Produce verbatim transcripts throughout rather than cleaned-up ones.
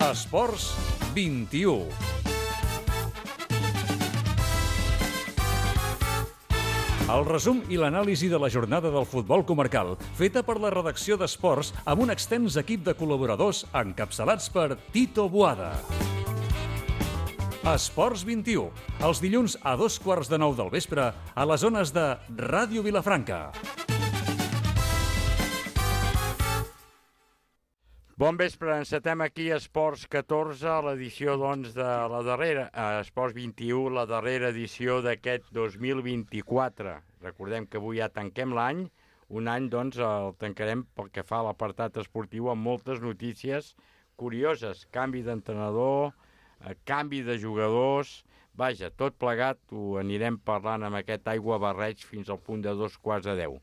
Esports vint-i-u. El resum i l'anàlisi de la jornada del futbol comarcal, feta per la redacció d'Esports amb un extens equip de col·laboradors encapçalats per Tito Boada. Esports vint-i-u, els dilluns a dos quarts de nou del vespre a les zones de Ràdio Vilafranca. Bon vespre, encetem aquí a Esports catorze, l'edició doncs de la darrera, a Esports vint-i-u, la darrera edició d'aquest dos mil vint-i-quatre. Recordem que avui ja tanquem l'any, un any doncs el tancarem pel que fa a l'apartat esportiu amb moltes notícies curioses, canvi d'entrenador, canvi de jugadors, vaja, tot plegat ho anirem parlant amb aquest aigua barreig fins al punt de dos quarts de deu.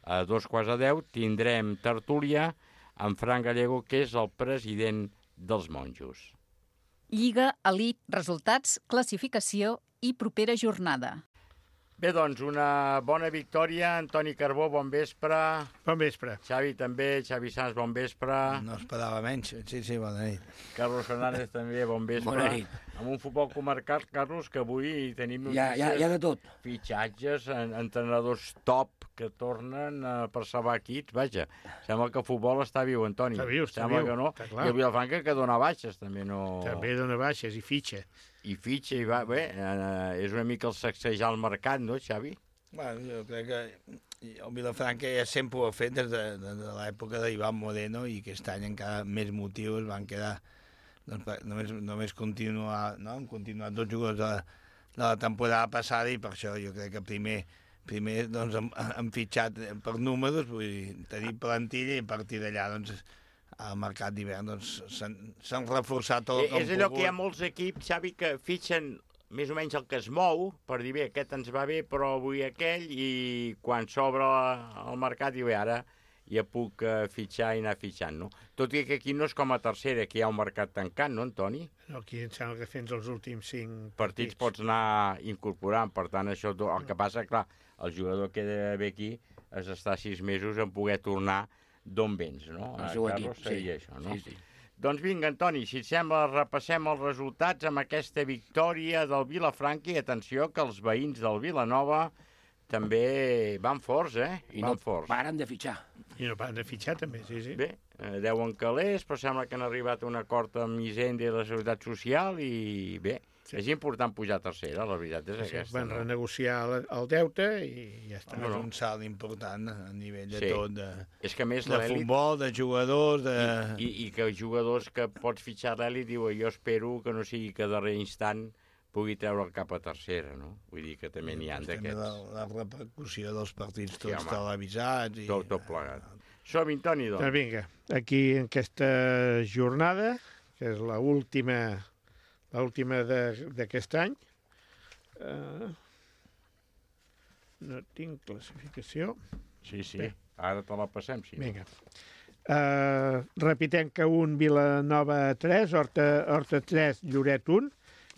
A dos quarts de deu tindrem tertúlia amb Fran Gallego, que és el president dels monjos. Lliga, elit, resultats, classificació i propera jornada. Bé, doncs, una bona victòria. Antoni Carbó, bon vespre. Bon vespre. Xavi també, Xavi Sanz, bon vespre. No esperava menys, sí, sí, bona nit. Carlos Fernández també, bon vespre. Bona nit. Amb un futbol comarcal, Carlos, que avui tenim ja, ja, ja de tot. Fitxatges, entrenadors top que tornen uh, per salvar equips. Vaja, sembla que el futbol està viu, Antoni. Està viu, està sembla viu. Que no. I el Vilafranca que dona baixes, també no... També dona baixes i fitxa. I fitxa, i va, bé, eh, és una mica el sacsejar el mercat, no, Xavi? Bueno, jo crec que el Vilafranca ja sempre ho ha fet des de, de, de l'època d'Ivan Moreno i aquest any encara més motius van quedar, doncs, només, només continuar, no? Han continuat dos jugadors de, de la temporada passada i per això jo crec que primer, primer doncs, han, han fitxat per números, vull dir, tenir plantilla i a partir d'allà, doncs, al mercat d'hivern doncs, s'han reforçat tot el que és allò que hi ha molts equips, Xavi, que fitxen més o menys el que es mou, per dir, bé, aquest ens va bé, però avui aquell, i quan s'obre el mercat, diu, bé, ara ja puc uh, fitxar i anar fitxant, no? Tot i que aquí no és com a tercera, que hi ha un mercat tancat, no, Antoni? No, aquí em sembla que fins els últims cinc partits pots anar incorporant, per tant, això, el que passa, clar, el jugador que ve aquí és estar sis mesos en poder tornar d'on vens, no? El seu Carlos, equip, sí. Això, no? Sí, sí. Doncs vinga, Antoni, si et sembla, repassem els resultats amb aquesta victòria del Vilafranca i atenció que els veïns del Vilanova també van forts, eh? I van no forts. paren de fitxar. I no paren de fitxar, també, sí, sí. Bé, eh, deuen calés, però sembla que han arribat a un acord amb Hisenda i la Seguretat Social i bé, sí. És important pujar a tercera, la veritat és sí, aquesta. Van no? renegociar el, el deute i ja està. No, és un salt important a nivell de sí. tot, de, és que més de futbol, de jugadors... De... I, i, I que jugadors que pots fitxar l'elit diuen jo espero que no sigui que darrer instant pugui treure'l cap a tercera, no? Vull dir que també n'hi ha d'aquests. La, la repercussió dels partits tots sí, televisats... I... Tot, tot plegat. Som-hi, Toni, doncs. doncs. Vinga, aquí en aquesta jornada, que és l'última l'última d'aquest any, uh, no tinc classificació. Sí, sí, Bé. Ara te la passem, sí. Vinga. Uh, repitem que un, Vilanova tres, Horta, Horta tres, Lloret un,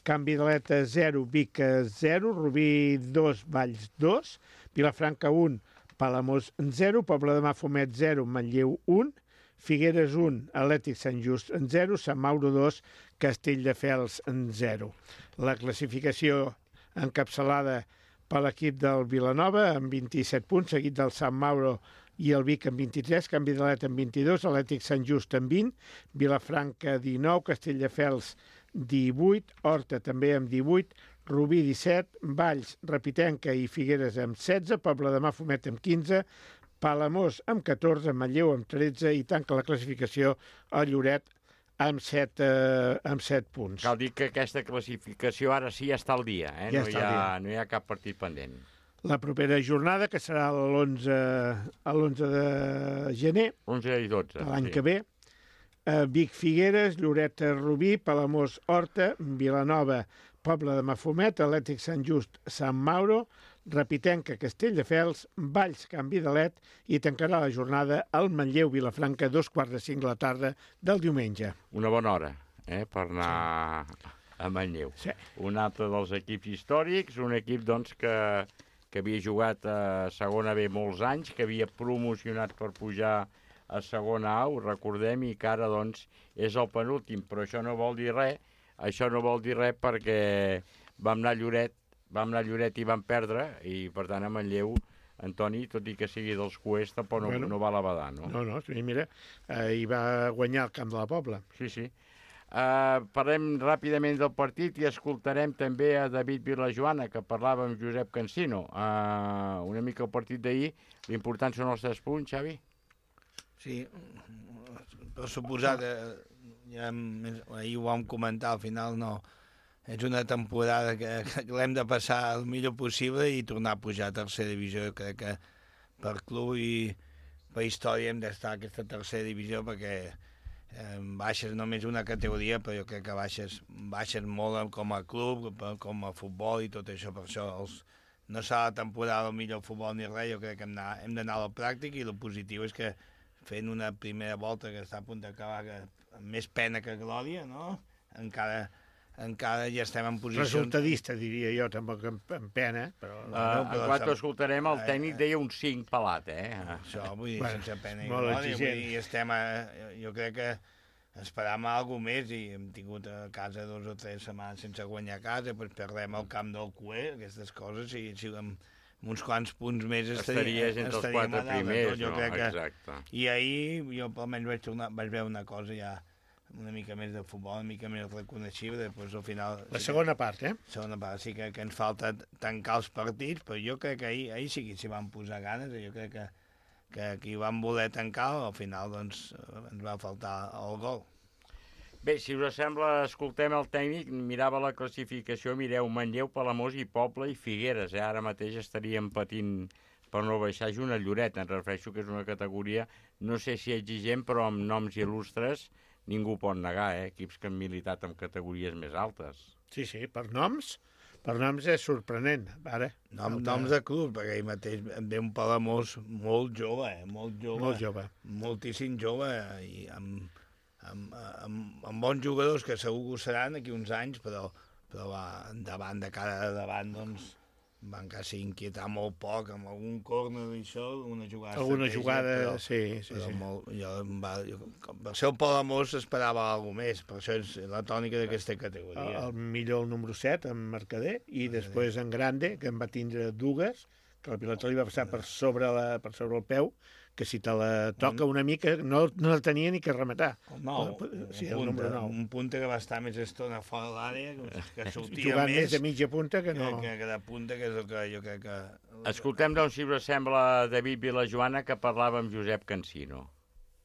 Canvi d'Aleta zero, Vic zero, Rubí dos, Valls dos, Vilafranca un, Palamós zero, Poble de Mafumet zero, Manlleu un, Figueres un, Atlètic Sant Just zero, Sant Mauro dos, Castelldefels zero. La classificació encapçalada per l'equip del Vilanova amb vint-i-set punts, seguit del Sant Mauro i el Vic amb vint-i-tres, Canvi d'Aleta amb vint-i-dos, Atlètic Sant Just amb vint, Vilafranca dinou, Castelldefels divuit, Horta també amb divuit, Rubí disset, Valls, Repitenca i Figueres amb setze, Poble de Mafumet amb quinze, Palamós amb catorze, Manlleu amb tretze i tanca la classificació a Lloret amb set, eh, amb set punts. Cal dir que aquesta classificació ara sí ja està al dia, eh? Ja no, hi està al ha, dia. no hi ha cap partit pendent. La propera jornada, que serà l'onze a l'onze de gener, onze i dotze. de l'any sí. que ve, eh, Vic Figueres, Lloret Rubí, Palamós Horta, Vilanova, Poble de Mafumet, Atlètic Sant Just, Sant Mauro, Repitenca, Castelldefels, Valls, Canvi d'Alet i tancarà la jornada al Manlleu Vilafranca, dos quarts de cinc de la tarda del diumenge. Una bona hora, eh, per anar sí. a Manlleu. Sí. Un altre dels equips històrics, un equip doncs, que, que havia jugat a segona B molts anys, que havia promocionat per pujar a segona A, ho recordem, i que ara doncs és el penúltim, però això no vol dir res, això no vol dir res perquè vam anar a Lloret, vam anar a Lloret i vam perdre, i per tant a Manlleu, Antoni, tot i que sigui dels Cuers, tampoc no, bueno, no va la badar, no? No, no, sí, mira, eh, hi va guanyar el camp de la Pobla. Sí, sí. Uh, parlem ràpidament del partit i escoltarem també a David Vilajoana, que parlava amb Josep Cansino. Uh, una mica el partit d'ahir, l'important són els tres punts, Xavi? Sí, per suposat, eh, ja, ahir ho vam comentar, al final no, és una temporada que, que l'hem de passar el millor possible i tornar a pujar a tercera divisió. Jo crec que per club i per història hem d'estar a aquesta tercera divisió perquè eh, baixes només una categoria, però jo crec que baixes, baixes molt com a club, com a futbol i tot això. Per això els, no serà la temporada el millor futbol ni res, jo crec que hem d'anar, hem d'anar a la pràctica, i el positiu és que fent una primera volta que està a punt d'acabar amb més pena que glòria, no? Encara... encara ja estem en posicions... Resultadista, diria jo, tampoc en, en pena, però... Uh, no, però en quant escoltarem, el tècnic deia un cinc pelat, eh? Això, vull dir, bueno, sense pena i glòria, vull dir, estem a... Jo crec que esperàvem alguna més i hem tingut a casa dos o tres setmanes sense guanyar a casa, doncs perdem el camp del Cué, aquestes coses, i si amb uns quants punts més estaries entre els quatre primers, no? Exacte. I ahir jo almenys vaig, tornar, vaig veure una cosa ja una mica més de futbol, una mica més reconeixible, després al final... La segona part, eh? La segona part, sí que, que ens falta tancar els partits, però jo crec que ahir, ahir sí que s'hi van posar ganes, jo crec que, que qui van voler tancar, al final doncs ens va faltar el gol. Bé, si us sembla, escoltem el tècnic, mirava la classificació, mireu, Manlleu, Palamós i Poble i Figueres, eh? Ara mateix estaríem patint per no baixar junt a Lloret, em refereixo que és una categoria, no sé si exigent, però amb noms il·lustres, ningú pot negar, eh? Equips que han militat en categories més altes. Sí, sí, per noms, per noms és sorprenent, ara. Nom, noms de club, perquè ahir mateix em ve un Palamós molt jove, eh? Molt jove. Molt jove. Moltíssim jove, i amb, amb, amb, amb bons jugadors que segur que ho seran aquí uns anys, però, però va, endavant, de cara a davant, doncs, van quasi inquietar molt poc, amb algun córner i això, una jugada... Alguna jugada, però, sí, sí, però sí. Molt, jo, va, jo, per ser el Palamós esperava alguna més, per això és la tònica d'aquesta categoria. El, el millor el número set, en Mercader, i Mercader. Després en Grande, que en va tindre dues, que la pilota li va passar per sobre, la, per sobre el peu, que si te la toca una mica no, no la tenia ni que rematar. No, sí, el número nou. Un punta que va estar més estona fora de l'àrea, que sortia jugant més... més de mitja punta que no... Que, que de punta, que és el que jo crec que... Escoltem, doncs, si us sembla, David Vilajoana, que parlava amb Josep Cansino.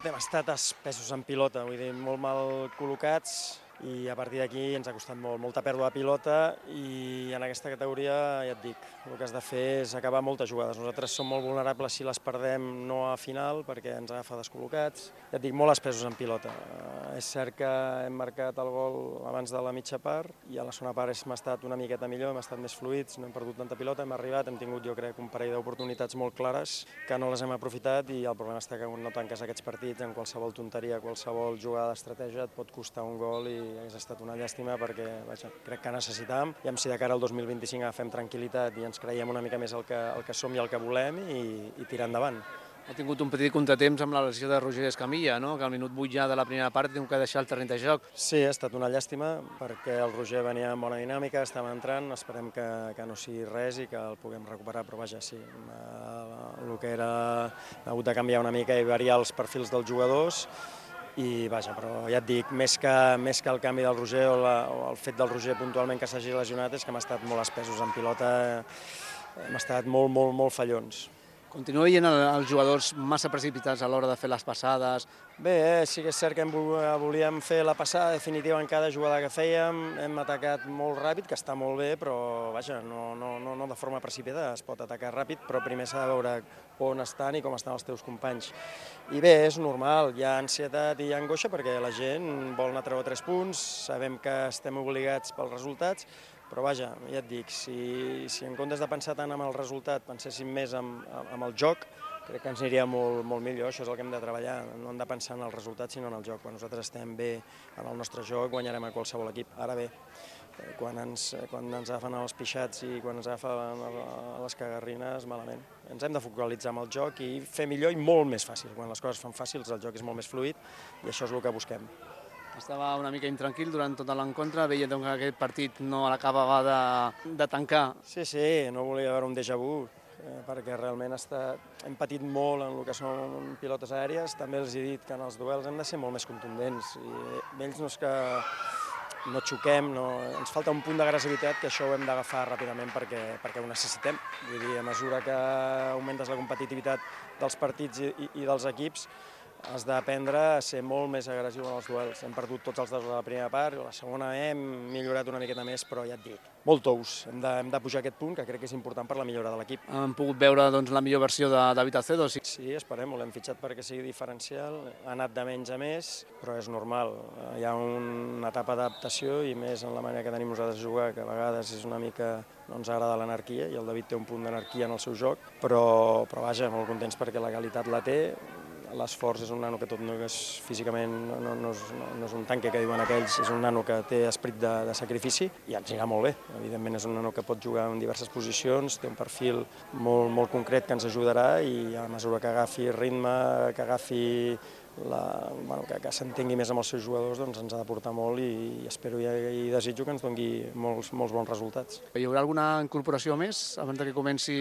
Hem estat espessos en pilota, vull dir, molt mal col·locats, i a partir d'aquí ens ha costat molt, molta pèrdua de pilota, i en aquesta categoria, ja et dic, el que has de fer és acabar moltes jugades. Nosaltres som molt vulnerables si les perdem no a final, perquè ens agafa descol·locats. Ja et dic, molt espessos en pilota. Uh, és cert que hem marcat el gol abans de la mitja part, i a la segona part hem estat una miqueta millor, hem estat més fluïts, no hem perdut tanta pilota, hem arribat, hem tingut, jo crec, un parell d'oportunitats molt clares, que no les hem aprofitat, i el problema està que quan no tanques aquests partits, en qualsevol tonteria, qualsevol jugada d'estratègia, et pot costar un gol, i hauria estat una llàstima perquè vaja, crec que necessitàvem, i si de cara al dos mil vint-i-cinc agafem tranquil·litat i ens creiem una mica més el que, el que som i el que volem, i, i tirar endavant. Ha tingut un petit contratemps amb la lesió de Roger Escamilla, no? Que al minut vuit ja de la primera part tinc que deixar el terreny de joc. Sí, ha estat una llàstima perquè el Roger venia amb bona dinàmica, estava entrant, esperem que, que no sigui res i que el puguem recuperar, però vaja, sí, el que era, ha hagut de canviar una mica i variar els perfils dels jugadors, i vaja, però ja et dic, més que, més que el canvi del Roger o, la, o el fet del Roger puntualment que s'hagi lesionat, és que hem estat molt espessos en pilota, hem estat molt, molt, molt fallons. Continua veient els jugadors massa precipitats a l'hora de fer les passades? Bé, eh, sí que és cert que volíem fer la passada definitiva en cada jugada que fèiem, hem atacat molt ràpid, que està molt bé, però vaja, no, no, no, no de forma precipitada, es pot atacar ràpid, però primer s'ha de veure on estan i com estan els teus companys. I bé, és normal, hi ha ansietat i hi ha angoixa perquè la gent vol anar a treure tres punts, sabem que estem obligats pels resultats, però vaja, ja et dic, si, si en comptes de pensar tant en el resultat penséssim més en, en el joc, crec que ens aniria molt, molt millor, això és el que hem de treballar, no hem de pensar en el resultat sinó en el joc. Quan nosaltres estem bé en el nostre joc guanyarem a qualsevol equip. Ara bé, quan ens, quan ens agafen els pixats i quan ens agafen les cagarrines, malament. Ens hem de focalitzar en el joc i fer millor i molt més fàcil. Quan les coses fan fàcils el joc és molt més fluid i això és el que busquem. Estava una mica intranquil durant tota l'encontre, veia que aquest partit no l'acabava de, de tancar. Sí, sí, no volia veure un déjà vu, eh, perquè realment està, hem patit molt en el que són pilotes aèries. També els he dit que en els duels hem de ser molt més contundents. I ells no és que no xoquem, no, ens falta un punt d'agressivitat que això ho hem d'agafar ràpidament perquè, perquè ho necessitem. Vull dir, a mesura que augmentes la competitivitat dels partits i, i, i dels equips, has d'aprendre a ser molt més agressiu en els duels. Hem perdut tots els dos a la primera part, a la segona hem millorat una miqueta més, però ja et dic, molt tous. Hem de, hem de pujar aquest punt, que crec que és important per la millora de l'equip. Hem pogut veure doncs, la millor versió de David Acedo. Sí, sí esperem, l'hem fitxat perquè sigui diferencial, ha anat de menys a més, però és normal. Hi ha una etapa d'adaptació i més en la manera que tenim nosaltres de jugar, que a vegades és una mica, no ens agrada l'anarquia, i el David té un punt d'anarquia en el seu joc, però, però vaja, molt contents perquè la qualitat la té. L'esforç és un nano que tot no és físicament, no, no, no, és, no, no és un tanque que diuen aquells, és un nano que té esperit de, de sacrifici i ens anirà molt bé. Evidentment és un nano que pot jugar en diverses posicions, té un perfil molt, molt concret que ens ajudarà i a mesura que agafi ritme, que agafi la, bueno, que, que s'entengui més amb els seus jugadors, doncs ens ha de portar molt i, i espero i, i desitjo que ens doni molts, molts bons resultats. Hi haurà alguna incorporació més abans que comenci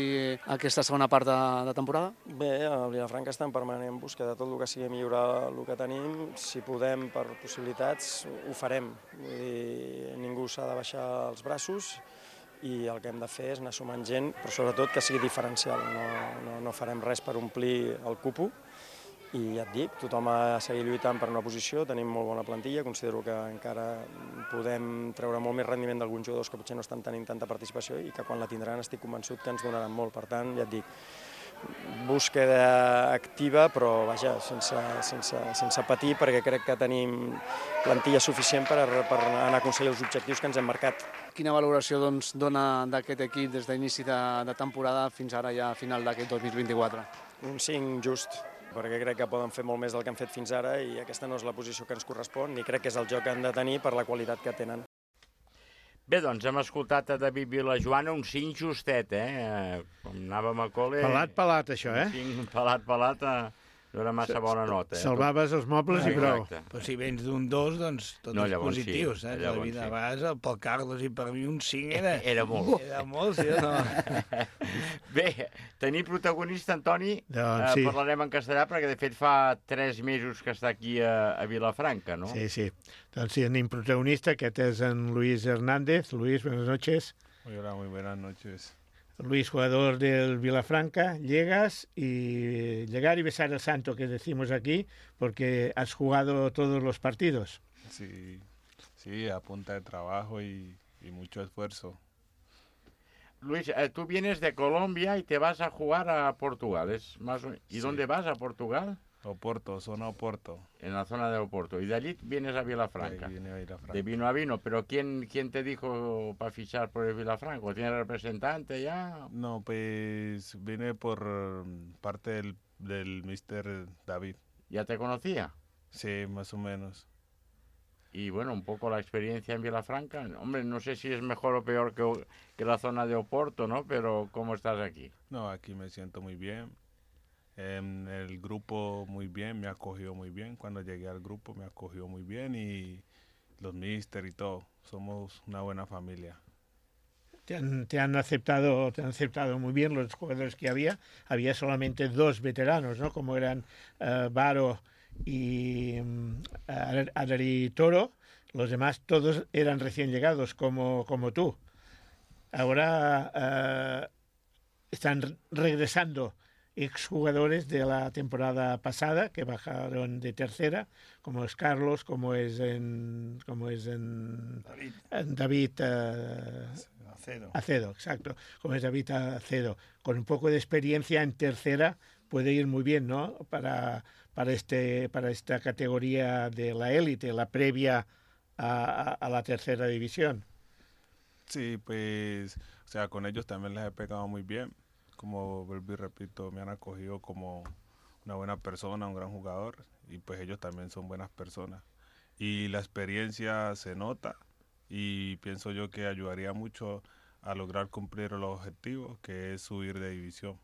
aquesta segona part de, de temporada? Bé, a Vilafranca està en permanent busca de tot el que sigui millorar el que tenim. Si podem, per possibilitats, ho farem. Vull dir, ningú s'ha de baixar els braços i el que hem de fer és anar sumant gent, però sobretot que sigui diferencial. No, no, no farem res per omplir el cupo. I ja et dic, tothom ha de seguir lluitant per una posició, tenim molt bona plantilla, considero que encara podem treure molt més rendiment d'alguns jugadors que potser no estan tenint tanta participació i que quan la tindran estic convençut que ens donaran molt. Per tant, ja et dic, búsqueda activa, però vaja, sense, sense, sense patir, perquè crec que tenim plantilla suficient per, per anar a aconseguir els objectius que ens hem marcat. Quina valoració doncs, dona d'aquest equip des d'inici de, de temporada fins ara ja a final d'aquest dos mil vint-i-quatre? Un cinc just, perquè crec que poden fer molt més del que han fet fins ara i aquesta no és la posició que ens correspon ni crec que és el joc que han de tenir per la qualitat que tenen. Bé, doncs hem escoltat a David Vilajoana, un cinc justet, eh? Com anàvem a col·le... Pelat, pelat, això, eh? Un cinc pelat, pelat, eh? No era massa bona nota. Eh? Salvaves els mobles i prou. Però si vens d'un dos, doncs tots no, els positius. Sí, eh? La vida, sí. A vegades pel Carlos i per mi un cinc era... Era molt. Era molt, sí o no? Bé, tenir protagonista, Antoni, doncs, eh, sí. Parlarem en castellà, perquè de fet fa tres mesos que està aquí a, a Vilafranca, no? Sí, sí. Doncs sí, tenim protagonista, aquest és en Luis Hernández. Luis, buenas noches. Hola, muy buenas noches. Luis, jugador del Vilafranca, llegas y llegar y besar el santo que decimos aquí, porque has jugado todos los partidos. Sí, sí, a punta de trabajo y, y mucho esfuerzo. Luis, eh, tú vienes de Colombia y te vas a jugar a Portugal, ¿es más o... ¿Y sí. dónde vas a Portugal? Oporto, zona Oporto. En la zona de Oporto. Y de allí vienes a Vilafranca. Sí, viene a Vilafranca. De vino a vino. ¿Pero quién, quién te dijo para fichar por el Vilafranca? ¿Tiene representante ya? No, pues vine por parte del, del mister David. ¿Ya te conocía? Sí, más o menos. Y bueno, un poco la experiencia en Vilafranca. Hombre, no sé si es mejor o peor que, que la zona de Oporto, ¿no? Pero ¿cómo estás aquí? No, aquí me siento muy bien. En el grupo muy bien, me acogió muy bien. Cuando llegué al grupo me acogió muy bien y los míster y todo. Somos una buena familia. Te han, te han aceptado, te han aceptado muy bien los jugadores que había. Había solamente dos veteranos, ¿no? Como eran uh, Varo y um, Adari Toro. Los demás todos eran recién llegados, como, como tú. Ahora uh, están regresando exjugadores de la temporada pasada que bajaron de tercera, como es Carlos, como es en, como es en David, en David uh, Acedo. Acedo, exacto, como es David Acedo, con un poco de experiencia en tercera puede ir muy bien, ¿no? Para para este para esta categoría de la élite, la previa a, a, a la tercera división. Sí, pues, o sea, con ellos también les he pegado muy bien. como vuelvo y repito, me han acogido como una buena persona, un gran jugador, y pues ellos también son buenas personas. Y la experiencia se nota y pienso yo que ayudaría mucho a lograr cumplir los objetivos, que es subir de división.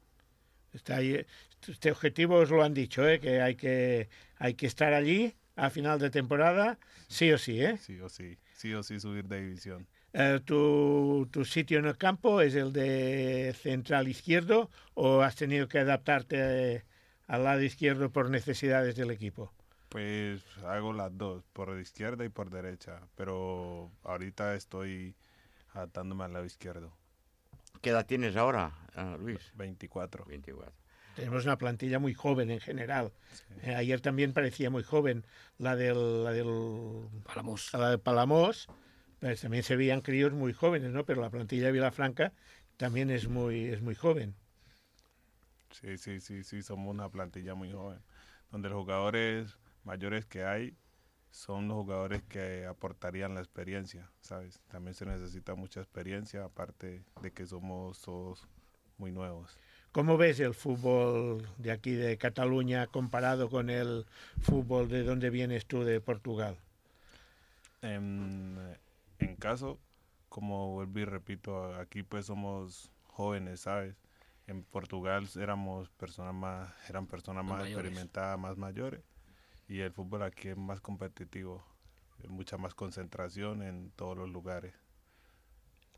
Está ahí, este objetivo os lo han dicho, ¿eh? Que hay que hay que estar allí a final de temporada, sí o sí, ¿eh? Sí o sí, sí o sí subir de división. Eh, ¿tu, ¿Tu sitio en el campo es el de central izquierdo o has tenido que adaptarte eh, al lado izquierdo por necesidades del equipo? Pues hago las dos, por izquierda y por derecha, pero ahorita estoy adaptándome al lado izquierdo. ¿Qué edad tienes ahora, uh, Luis? veinticuatro. veinticuatro. Tenemos una plantilla muy joven en general. Sí. Eh, ayer también parecía muy joven la del, la del Palamós. la de Palamós, pues también se veían críos muy jóvenes, ¿no? Pero la plantilla de Vilafranca también es muy, es muy joven. Sí, sí, sí, sí, somos una plantilla muy joven, donde los jugadores mayores que hay son los jugadores que aportarían la experiencia, ¿sabes? También se necesita mucha experiencia, aparte de que somos todos muy nuevos. ¿Cómo ves el fútbol de aquí de Cataluña comparado con el fútbol de donde vienes tú, de Portugal? En, en caso, como vuelvo y repito, aquí pues somos jóvenes, ¿sabes? En Portugal éramos personas más, eran personas más mayores. experimentadas, más mayores, y el fútbol aquí es más competitivo, hay mucha más concentración en todos los lugares.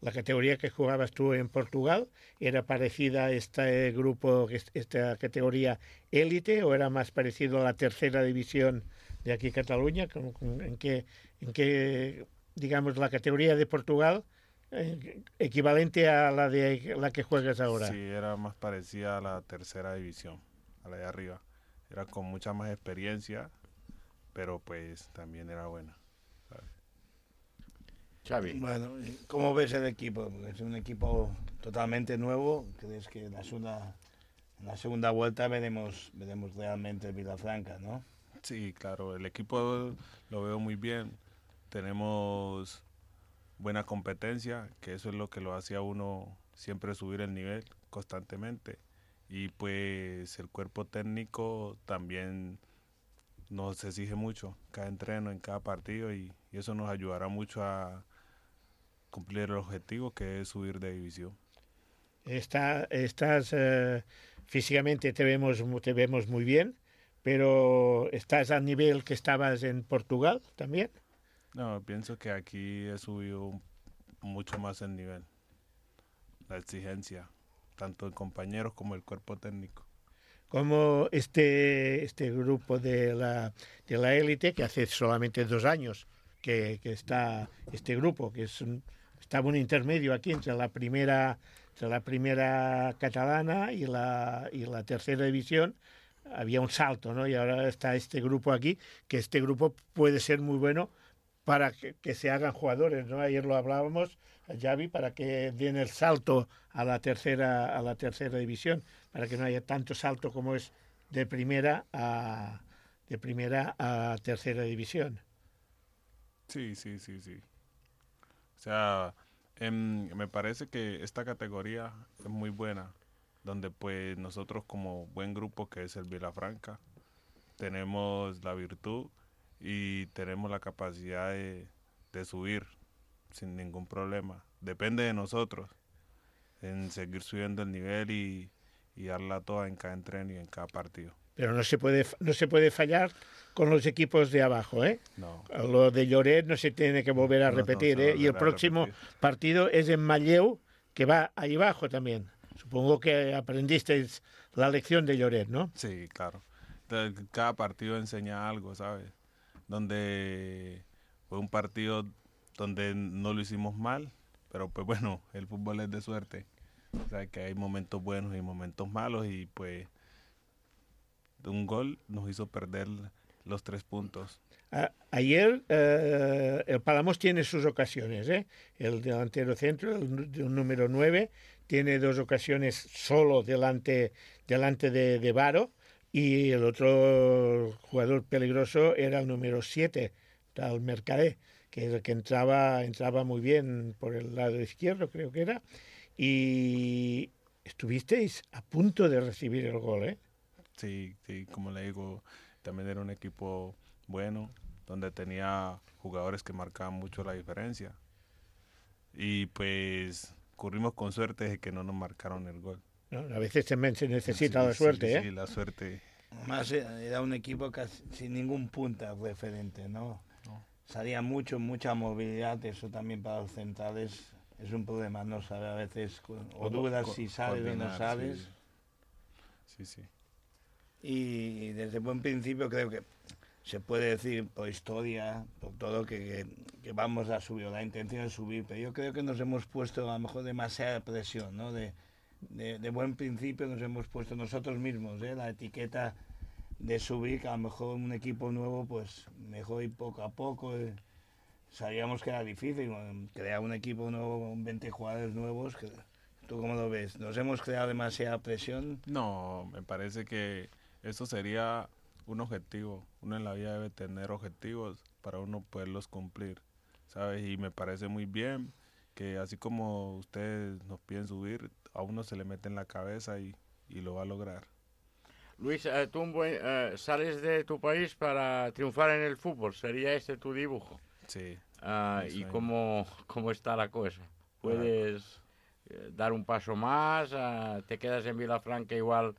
La categoría que jugabas tú en Portugal, ¿era parecida a este grupo, esta categoría élite, o era más parecido a la tercera división de aquí Cataluña? ¿En qué, en qué, digamos, la categoría de Portugal eh, equivalente a la de la que juegas ahora? Sí, era más parecida a la tercera división, a la de arriba. Era con mucha más experiencia, pero pues también era buena. Xavi. Bueno, ¿cómo ves el equipo? Es un equipo totalmente nuevo. ¿Crees que en la segunda, en la segunda vuelta veremos, veremos realmente el Vilafranca, no? Sí, claro, el equipo lo veo muy bien. Tenemos buena competencia, que eso es lo que lo hace a uno siempre subir el nivel constantemente. Y pues el cuerpo técnico también nos exige mucho, cada entreno, en cada partido, y, y eso nos ayudará mucho a cumplir el objetivo, que es subir de división. Está, estás eh, físicamente te vemos, te vemos muy bien, pero ¿estás al nivel que estabas en Portugal también? No, pienso que aquí he subido mucho más el nivel, la exigencia, tanto en compañeros como el cuerpo técnico. Como este, este grupo de la, de la élite, que hace solamente dos años que, que está este grupo, que es un, estaba un intermedio aquí entre la primera, entre la primera catalana y la, y la tercera división, había un salto, ¿no? Y ahora está este grupo aquí, que este grupo puede ser muy bueno para que, que se hagan jugadores, ¿no? Ayer lo hablábamos, Xavi, para que den el salto a la tercera a la tercera división, para que no haya tanto salto como es de primera a de primera a tercera división. Sí, sí, sí, sí. O sea, em, me parece que esta categoría es muy buena, donde pues nosotros como buen grupo que es el Vilafranca, tenemos la virtud y tenemos la capacidad de, de subir sin ningún problema. Depende de nosotros en seguir subiendo el nivel y, y darla toda en cada entreno y en cada partido. Pero no se puede no se puede fallar con los equipos de abajo, ¿eh? No. Lo de Lloret no se tiene que volver a No, repetir, no se ¿eh? Y el volverá a próximo repetir. partido es en Manlleu, que va ahí abajo también. Supongo que aprendisteis la lección de Lloret, ¿no? Sí, claro. Entonces, cada partido enseña algo, ¿sabes? Donde fue un partido donde no lo hicimos mal, pero pues bueno, el fútbol es de suerte. O sea, que hay momentos buenos y momentos malos, y pues un gol nos hizo perder los tres puntos. A- ayer eh, el Palamós tiene sus ocasiones, ¿eh? El delantero centro, el, nu- el número nueve, tiene dos ocasiones solo delante, delante de, de Varo, y el otro jugador peligroso era el número siete, el Mercadé, que es el que entraba, entraba muy bien por el lado izquierdo, creo que era, y, estuvisteis a punto de recibir el gol, ¿eh? Sí, sí, como le digo, también era un equipo bueno, donde tenía jugadores que marcaban mucho la diferencia. Y pues corrimos con suerte de que no nos marcaron el gol. ¿No? A veces también se necesita sí, la suerte, sí, ¿eh? Sí, la suerte. Además era un equipo casi sin ningún punta referente, ¿no? No. Salía mucho, mucha movilidad, eso también para los centrales es un problema, no sabe a veces, o dudas si sales o no sales. Sí, sí. sí. Y desde buen principio creo que se puede decir por historia, por todo, que, que, que vamos a subir, la intención es subir, pero yo creo que nos hemos puesto a lo mejor demasiada presión, ¿no? De, de, de buen principio nos hemos puesto nosotros mismos, ¿eh? La etiqueta de subir, que a lo mejor un equipo nuevo, pues mejor ir poco a poco. Eh. Sabíamos que era difícil, crear un equipo nuevo con veinte jugadores nuevos. Que, ¿tú cómo lo ves? ¿Nos hemos creado demasiada presión? No, me parece que eso sería un objetivo. Uno en la vida debe tener objetivos para uno poderlos cumplir, ¿sabes? Y me parece muy bien que así como ustedes nos piden subir, a uno se le mete en la cabeza y, y lo va a lograr. Luis, eh, tú eh, sales de tu país para triunfar en el fútbol, ¿sería este tu dibujo? Sí. Uh, ¿Y cómo, cómo está la cosa? ¿Puedes eh, dar un paso más? Uh, ¿Te quedas en Vilafranca igual?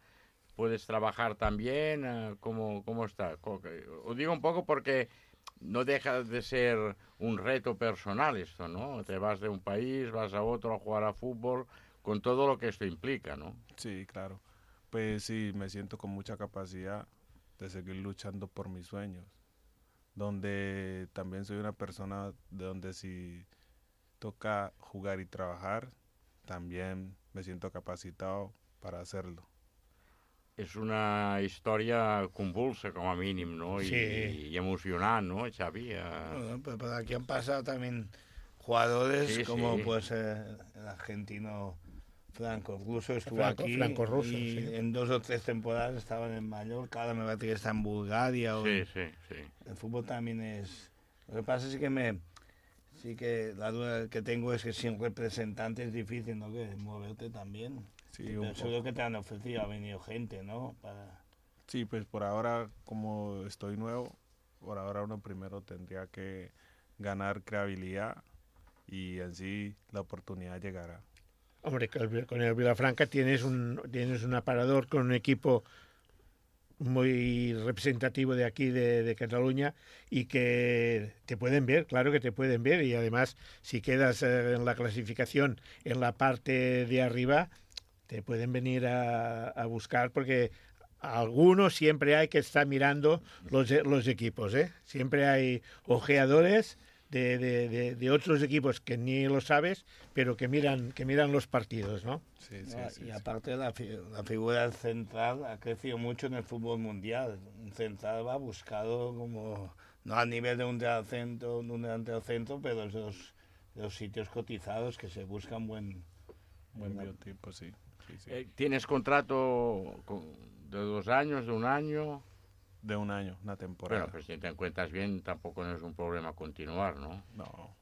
¿Puedes trabajar también? Uh, ¿cómo, ¿Cómo está? Os digo un poco porque no deja de ser un reto personal esto, ¿no? Te vas de un país, vas a otro a jugar a fútbol, con todo lo que esto implica, ¿no? Sí, claro. Pues sí, me siento con mucha capacidad de seguir luchando por mis sueños, donde también soy una persona de donde si toca jugar y trabajar, también me siento capacitado para hacerlo. És una història convulsa, com a mínim, ¿no? Sí. Y, y emocionant, ¿no, Xavi? Uh... Bueno, pero por aquí han pasado también jugadores sí, como sí. pues eh, el argentino Franco Russo estuvo Franco, aquí Franco Russo, y sí. en dos o tres temporadas estaba en Mallorca, ahora me parece que está en Bulgaria. O Sí, en... sí, sí. El fútbol también es... Lo que pasa es que me... Sí que la duda que tengo es que sin representante es difícil, ¿no? Que moverte también. Sí, Pero un seguro poco. que te han ofrecido, ha venido gente, ¿no? Para... Sí, pues por ahora, como estoy nuevo, por ahora uno primero tendría que ganar credibilidad y así la oportunidad llegará. Hombre, con el Vilafranca tienes un, tienes un aparador con un equipo muy representativo de aquí, de, de Cataluña, y que te pueden ver, claro que te pueden ver, y además si quedas eh, en la clasificación en la parte de arriba, te pueden venir a, a buscar, porque algunos siempre hay que estar mirando los, los equipos, ¿eh? Siempre hay ojeadores de, de, de, de otros equipos que ni lo sabes, pero que miran, que miran los partidos, ¿no? Sí, sí, Ah, sí, y sí. aparte la, fi la figura del central ha crecido mucho en el fútbol mundial. Un central va buscado como, no a nivel de un delantero, un delantero centro, pero es de los, de los sitios cotizados que se buscan buen... Buen buena- biotipo, sí. sí, sí. Eh, ¿Tienes contrato con, de dos años, de un año? De un año, una temporada. Bueno, pues si te encuentras bien, tampoco no es un problema continuar, ¿no? No,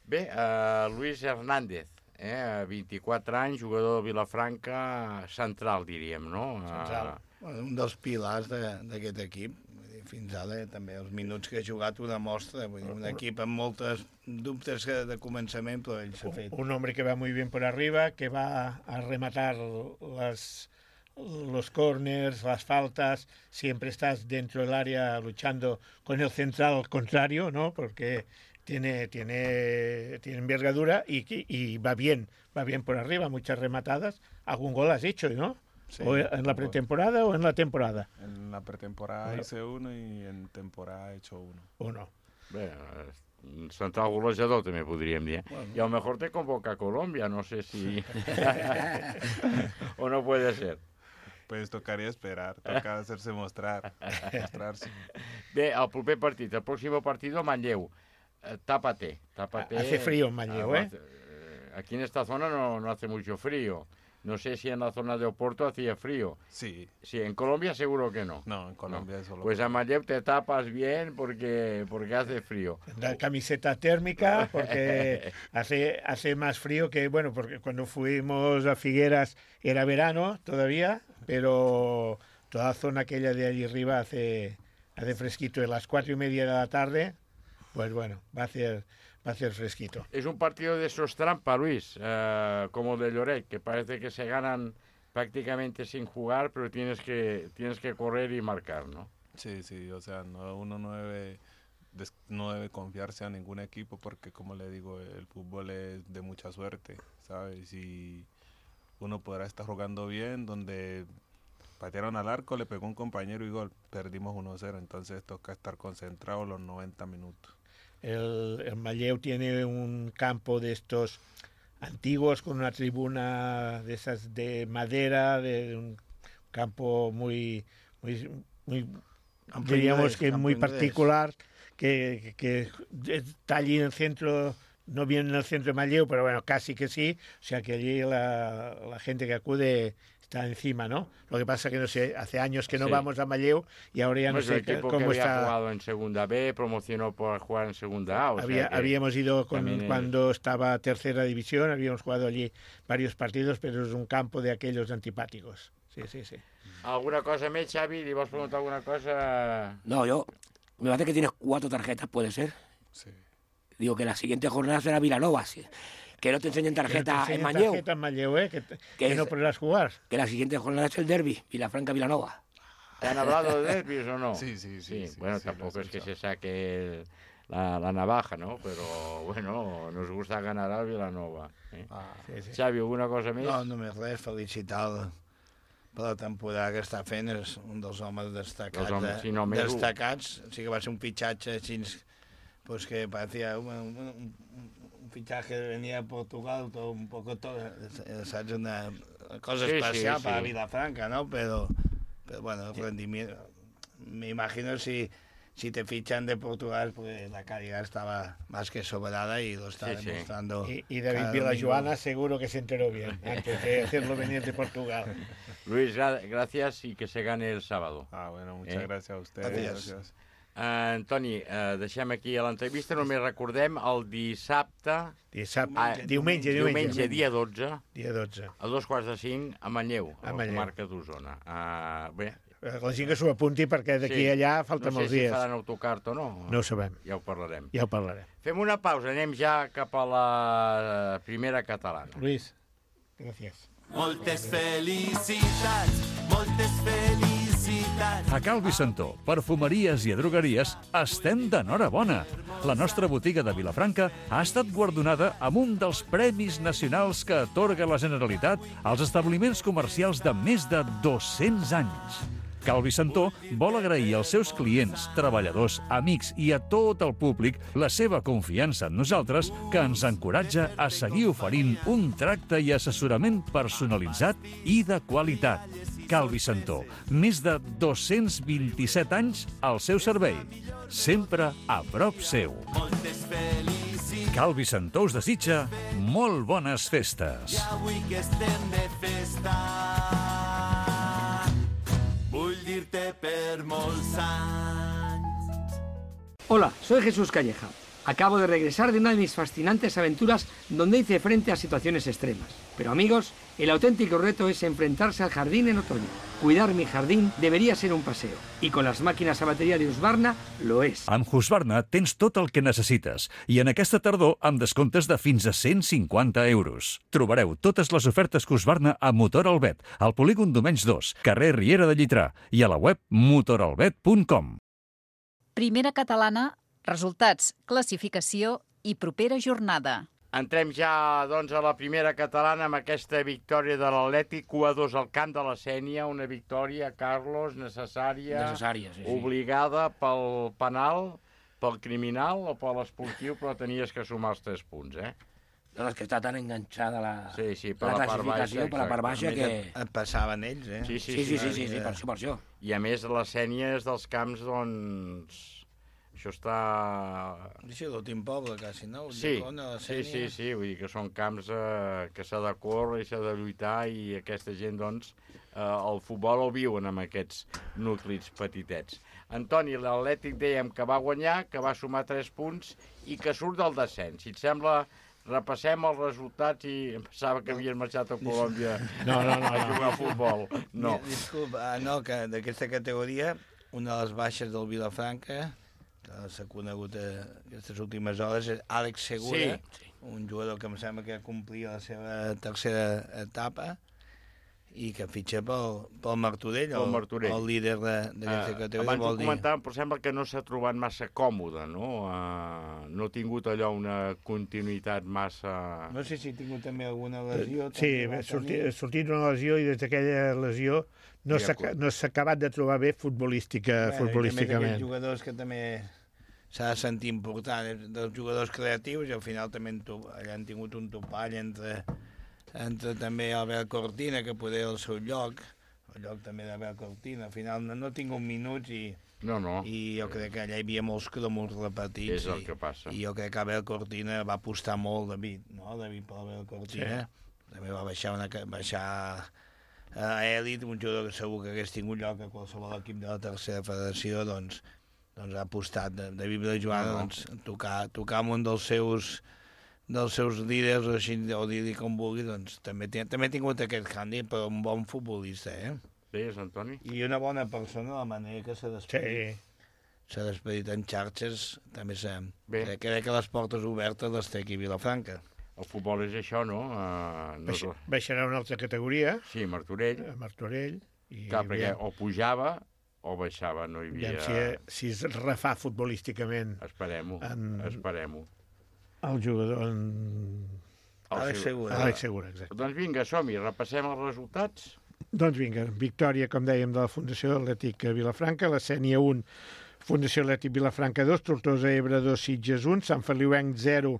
Bé, uh, Luis Hernández, eh, vint-i-quatre anys, jugador de Vilafranca, central, diríem, no? central. Bueno, un dels pilars d'aquest de, equip. Vull dir, fins ara també els minuts que ha jugat ho demostra. Vull dir, un equip amb moltes dubtes que de començament, però ell s'ha fet. Un hombre que va muy bien por arriba, que va a rematar las, los corners, las faltas, siempre estás dentro del área luchando con el central contrario, ¿no? Porque tiene, tiene, tiene envergadura y, y va bien, va bien por arriba, muchas rematadas. Algún gol has hecho, ¿no? sí, ¿O en la pretemporada o en la temporada? en la pretemporada Bueno. hice uno y en temporada he hecho uno. Uno. Bé, un central golejador també podríem dir. Bueno. Y a lo mejor te convoca a Colombia, no sé si... o no puede ser. Pues tocaría esperar, toca hacerse mostrar, mostrarse. Bé, el proper partit, el pròxim partit a Manlleu. Eh, tápate, tápate. Hace frío en Manlleu, Ah, ¿eh? hace- Aquí en esta zona no, no hace mucho frío. No sé si en la zona de Oporto hacía frío. Sí. Sí, en Colombia seguro que no. No, en Colombia no. Es solo... Pues a Manlleu te tapas bien porque, porque hace frío. La camiseta térmica, porque hace, hace más frío que, bueno, porque cuando fuimos a Figueras era verano todavía, pero toda la zona aquella de allí arriba hace, hace fresquito. A las cuatro y media de la tarde, pues bueno, va a hacer... Va a ser fresquito. Es un partido de esos trampa, Luis, uh, como de Lloret, que parece que se ganan prácticamente sin jugar, pero tienes que tienes que correr y marcar, ¿no? Sí, sí, o sea, no, uno no debe, des, no debe confiarse a ningún equipo porque, como le digo, el fútbol es de mucha suerte, ¿sabes? Y uno podrá estar jugando bien, donde patearon al arco, le pegó un compañero y gol, perdimos uno cero, entonces toca estar concentrado los noventa minutos. El, el Manlleu tiene un campo de estos antiguos con una tribuna de esas de madera, de un campo muy, muy, muy diríamos que muy particular, que, que, que está allí en el centro, no bien en el centro de Manlleu, pero bueno, casi que sí, o sea que allí la, la gente que acude está encima, ¿no? Lo que pasa que no sé, hace años que no sí. vamos a Manlleu y ahora ya no pues sé el equipo cómo que está. Había jugado en Segunda B, promocionó por jugar en Segunda A. O Había, sea que habíamos ido con, es... cuando estaba Tercera División, habíamos jugado allí varios partidos, pero es un campo de aquellos antipáticos. Sí, sí, sí. ¿Alguna cosa más, Xavi? ¿Le vas a preguntar alguna cosa? No, yo, me parece que tienes cuatro tarjetas, ¿puede ser? Sí. Digo que la siguiente jornada será Vilanova, ¿sí? Que no te enseñen tarjeta en Manlleu. Tarjeta en Manlleu, ¿eh? Que, te, que, que no es, podrás jugar. Que la siguiente jornada es el derbi, Vilafranca-Vilanova. ¿Te han hablado de derbis o no? Sí, sí, sí. sí, sí bueno, sí, tampoco es que se saque el, la, la navaja, ¿no? Pero, bueno, nos gusta ganar al Vilanova. ¿eh? Ah, sí, sí. Xavi, alguna cosa més? No, només res, felicitar-lo per la temporada que està fent, és un dels homes destacats. Dels homes, sí, no, més destacats, o sigui que va ser un fitxatge així, pues que parecía un, un, un, un fichaje venía de Portugal, todo un poco todo, ¿sabes? Una cosa sí, especial sí, para sí. Vilafranca, ¿no? Pero, pero bueno, el rendimiento, me imagino si, si te fichan de Portugal, pues la calidad estaba más que sobrada y lo está sí, demostrando. Sí. Y, y David Vilajoana seguro que se enteró bien antes de hacerlo venir de Portugal. Luis, gra gracias y que se gane el sábado. Ah, bueno, muchas eh? gracias a ustedes. Gracias. Gracias. Uh, Antoni, uh, deixem aquí l'entrevista, només recordem el dissabte... Dissabte, ah, diumenge, diumenge. Diumenge, dia dotze. Dia dotze. A dos quarts de cinc, a Manlleu, a, a la comarca d'Osona. Uh, bé, la gent que s'ho apunti perquè d'aquí sí. a allà falten no sé molts si dies. No sé si faran autocart o no. No ho sabem. Ja ho parlarem. Ja ho parlarem. Fem una pausa, anem ja cap a la primera catalana. Luis, gràcies. Moltes felicitats, moltes felicitats. A Cal Vicentó, perfumeries i drogueries, estem d'enhorabona. La nostra botiga de Vilafranca ha estat guardonada amb un dels premis nacionals que atorga la Generalitat als establiments comercials de més de dos-cents anys. Cal Vicentó vol agrair als seus clients, treballadors, amics i a tot el públic la seva confiança en nosaltres, que ens encoratja a seguir oferint un tracte i assessorament personalitzat i de qualitat. Cal Vicentó, més de dos-cents vint-i-set anys al seu servei, sempre a prop seu. Cal Vicentó us desitja molt bones festes. I avui que estem de festa, vull dir-te per molts anys. Hola, soy Jesús Calleja. Acabo de regresar de una de mis fascinantes aventuras donde hice frente a situaciones extremas. Pero amigos, el auténtico reto es enfrentarse al jardín en otoño. Cuidar mi jardín debería ser un paseo. I con les màquines a bateria de Husqvarna lo és. Amb Husqvarna tens tot el que necessites i en aquesta tardor amb descomptes de fins a cent cinquanta euros. Trobareu totes les ofertes Husqvarna a Motor Albet, al polígon Domenys dos, carrer Riera de Llitrà i a la web motor albet punt com. Primera catalana, resultats, classificació i propera jornada. Entrem ja doncs, a la primera catalana amb aquesta victòria de l'Atlètic, u a dos al camp de la Sénia, una victòria, Carlos, necessària, necessària sí, sí. obligada pel penal, pel criminal o per l'esportiu, però tenies que sumar els tres punts, eh? No, és que està tan enganxada la, sí, sí, per la, la classificació, per la part baixa, que... Et, et passaven ells, eh? Sí, sí, sí, sí, sí, sí, sí, sí, per això, per això. I a més la Sénia és dels camps, doncs... Això està... Sí, l'últim poble, quasi, no? Sí, Llacona, la sí, Sénia. sí, sí, vull dir que són camps eh, que s'ha de córrer i s'ha de lluitar i aquesta gent, doncs, eh, el futbol el viuen amb aquests nuclis petitets. Antoni, l'Atlètic dèiem que va guanyar, que va sumar tres punts i que surt del descens. Si et sembla, repassem els resultats i em pensava que havien marxat a Colòmbia no, no, no, a jugar a futbol. No. Disculpa, ah, no, que d'aquesta categoria, una de les baixes del Vilafranca, que s'ha conegut a aquestes últimes hores, és Àlex Segura, Sí. un jugador que em sembla que complia la seva tercera etapa i que fitxa pel, pel Martorell, Pel el, Martorell. el líder d'aquesta Uh, categoria. abans ho vol dir. comentàvem, però sembla que no s'ha trobat massa còmode, no? Uh, no ha tingut allò una continuïtat massa... No sé si ha tingut també alguna lesió. Sí, també va ha sortit, tenir. ha sortit una lesió i des d'aquella lesió no Ja, s'ha clar. no s'ha acabat de trobar bé futbolística, Bueno, i també futbolísticament. d'aquells jugadors que també s'ha de sentir important, eh, dels jugadors creatius, i al final també han, to- allà han tingut un topall entre, entre també Albert Cortina, que poder el seu lloc, el lloc també d'Albert Cortina. Al final no, no ha tingut minuts i, No, no, i jo crec que allà hi havia molts cromos repetits. és el i, que passa. I jo crec que Albert Cortina va apostar molt, David, no? David per Albert Cortina. Sí. També va baixar, una, ca- baixar a Èlit, un jugador que segur que hagués tingut lloc a qualsevol equip de la tercera federació, doncs, doncs ha apostat de, de Vibre Joana, No, no. doncs, tocar, tocar amb un dels seus dels seus líders, o així, o dir-li com vulgui, doncs també, té, també ha tingut aquest hàndicap, però un bon futbolista, eh? Deies, Antoni? I una bona persona, la manera que s'ha despedit. Sí. S'ha despedit en xarxes, també s'ha... Bé. Crec, crec que les portes obertes les té aquí a Vilafranca. El futbol és això, no? Uh, no és... Baixa, baixarà una altra categoria, Sí, Martorell. a Martorell, i Clar, perquè aviam, o pujava o baixava, no hi havia... aviam si, si es refà futbolísticament Esperem-ho, En- esperem-ho. el jugador en... El Àlex seu- Segura. Àlex Segura, exacte. Doncs vinga, som-hi, repassem els resultats. Doncs vinga, victòria, com dèiem, de la Fundació Atlètic Vilafranca, la Sénia un, Fundació Atlètic Vilafranca dos, Tortosa Ebre dos, Sitges un, Sant Feliuenc zero,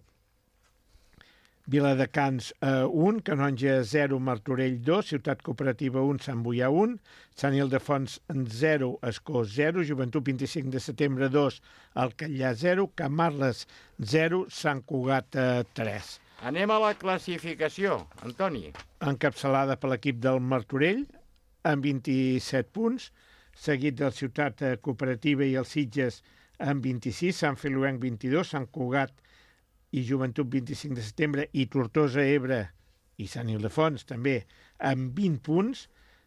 Viladecans eh, un, Canonja zero, Martorell dos, Ciutat Cooperativa un, Sant Boià un, Sant Ildefons zero, Escó zero, Joventut vint-i-cinc de setembre dos, Alcallà zero, Camarles zero, Sant Cugat eh, tres. Anem a la classificació, Antoni. Encapçalada per l'equip del Martorell, amb vint-i-set punts, seguit del Ciutat eh, Cooperativa i els Sitges amb vint-i-sis, Sant Feliuenc vint-i-dos, Sant Cugat i Joventut vint-i-cinc de setembre i Tortosa Ebre i Sant Ildefons també amb vint punts,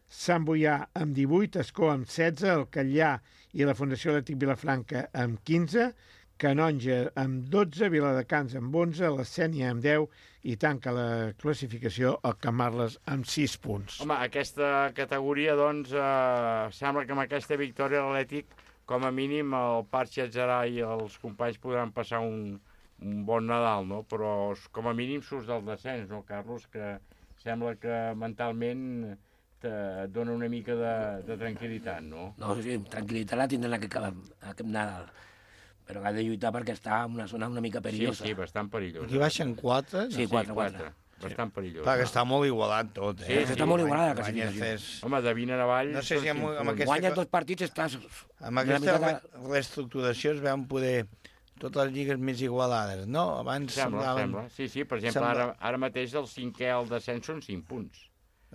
Sant Boià amb divuit, Escó amb setze, Alcallà i la Fundació Atlètic Vilafranca amb quinze, Canonja amb dotze, Viladecans amb onze, la Sénia amb deu i tanca la classificació el Camarles amb sis punts. Home, aquesta categoria, doncs, eh, sembla que amb aquesta victòria l'Atlètic, com a mínim, el Parc Xatzarà i els companys podran passar un, un bon Nadal, no? Però com a mínim surts del descens, no, Carlos? Que sembla que mentalment te dona una mica de, de tranquil·litat, no? No, sí, tranquil·litat la tindran aquest, aquest Nadal. Però ha de lluitar perquè està en una zona una mica perillosa. Sí, sí, bastant perillosa. Aquí baixen quatre. Sí, quatre, quatre. Bastant perillós. Clar, que està molt igualat tot, eh? Sí, sí, està molt igualada la Guanyes classificació. tres- Home, de vint en avall... No sé si amb, amb aquesta... Guanyes dos partits, estàs... Amb aquesta re reestructuració es veuen poder totes les lligues més igualades, no? Abans Sembla, semblaven... sembla. Sí, sí, per exemple, Sembla- ara, ara mateix el cinquè al descens són cinc punts.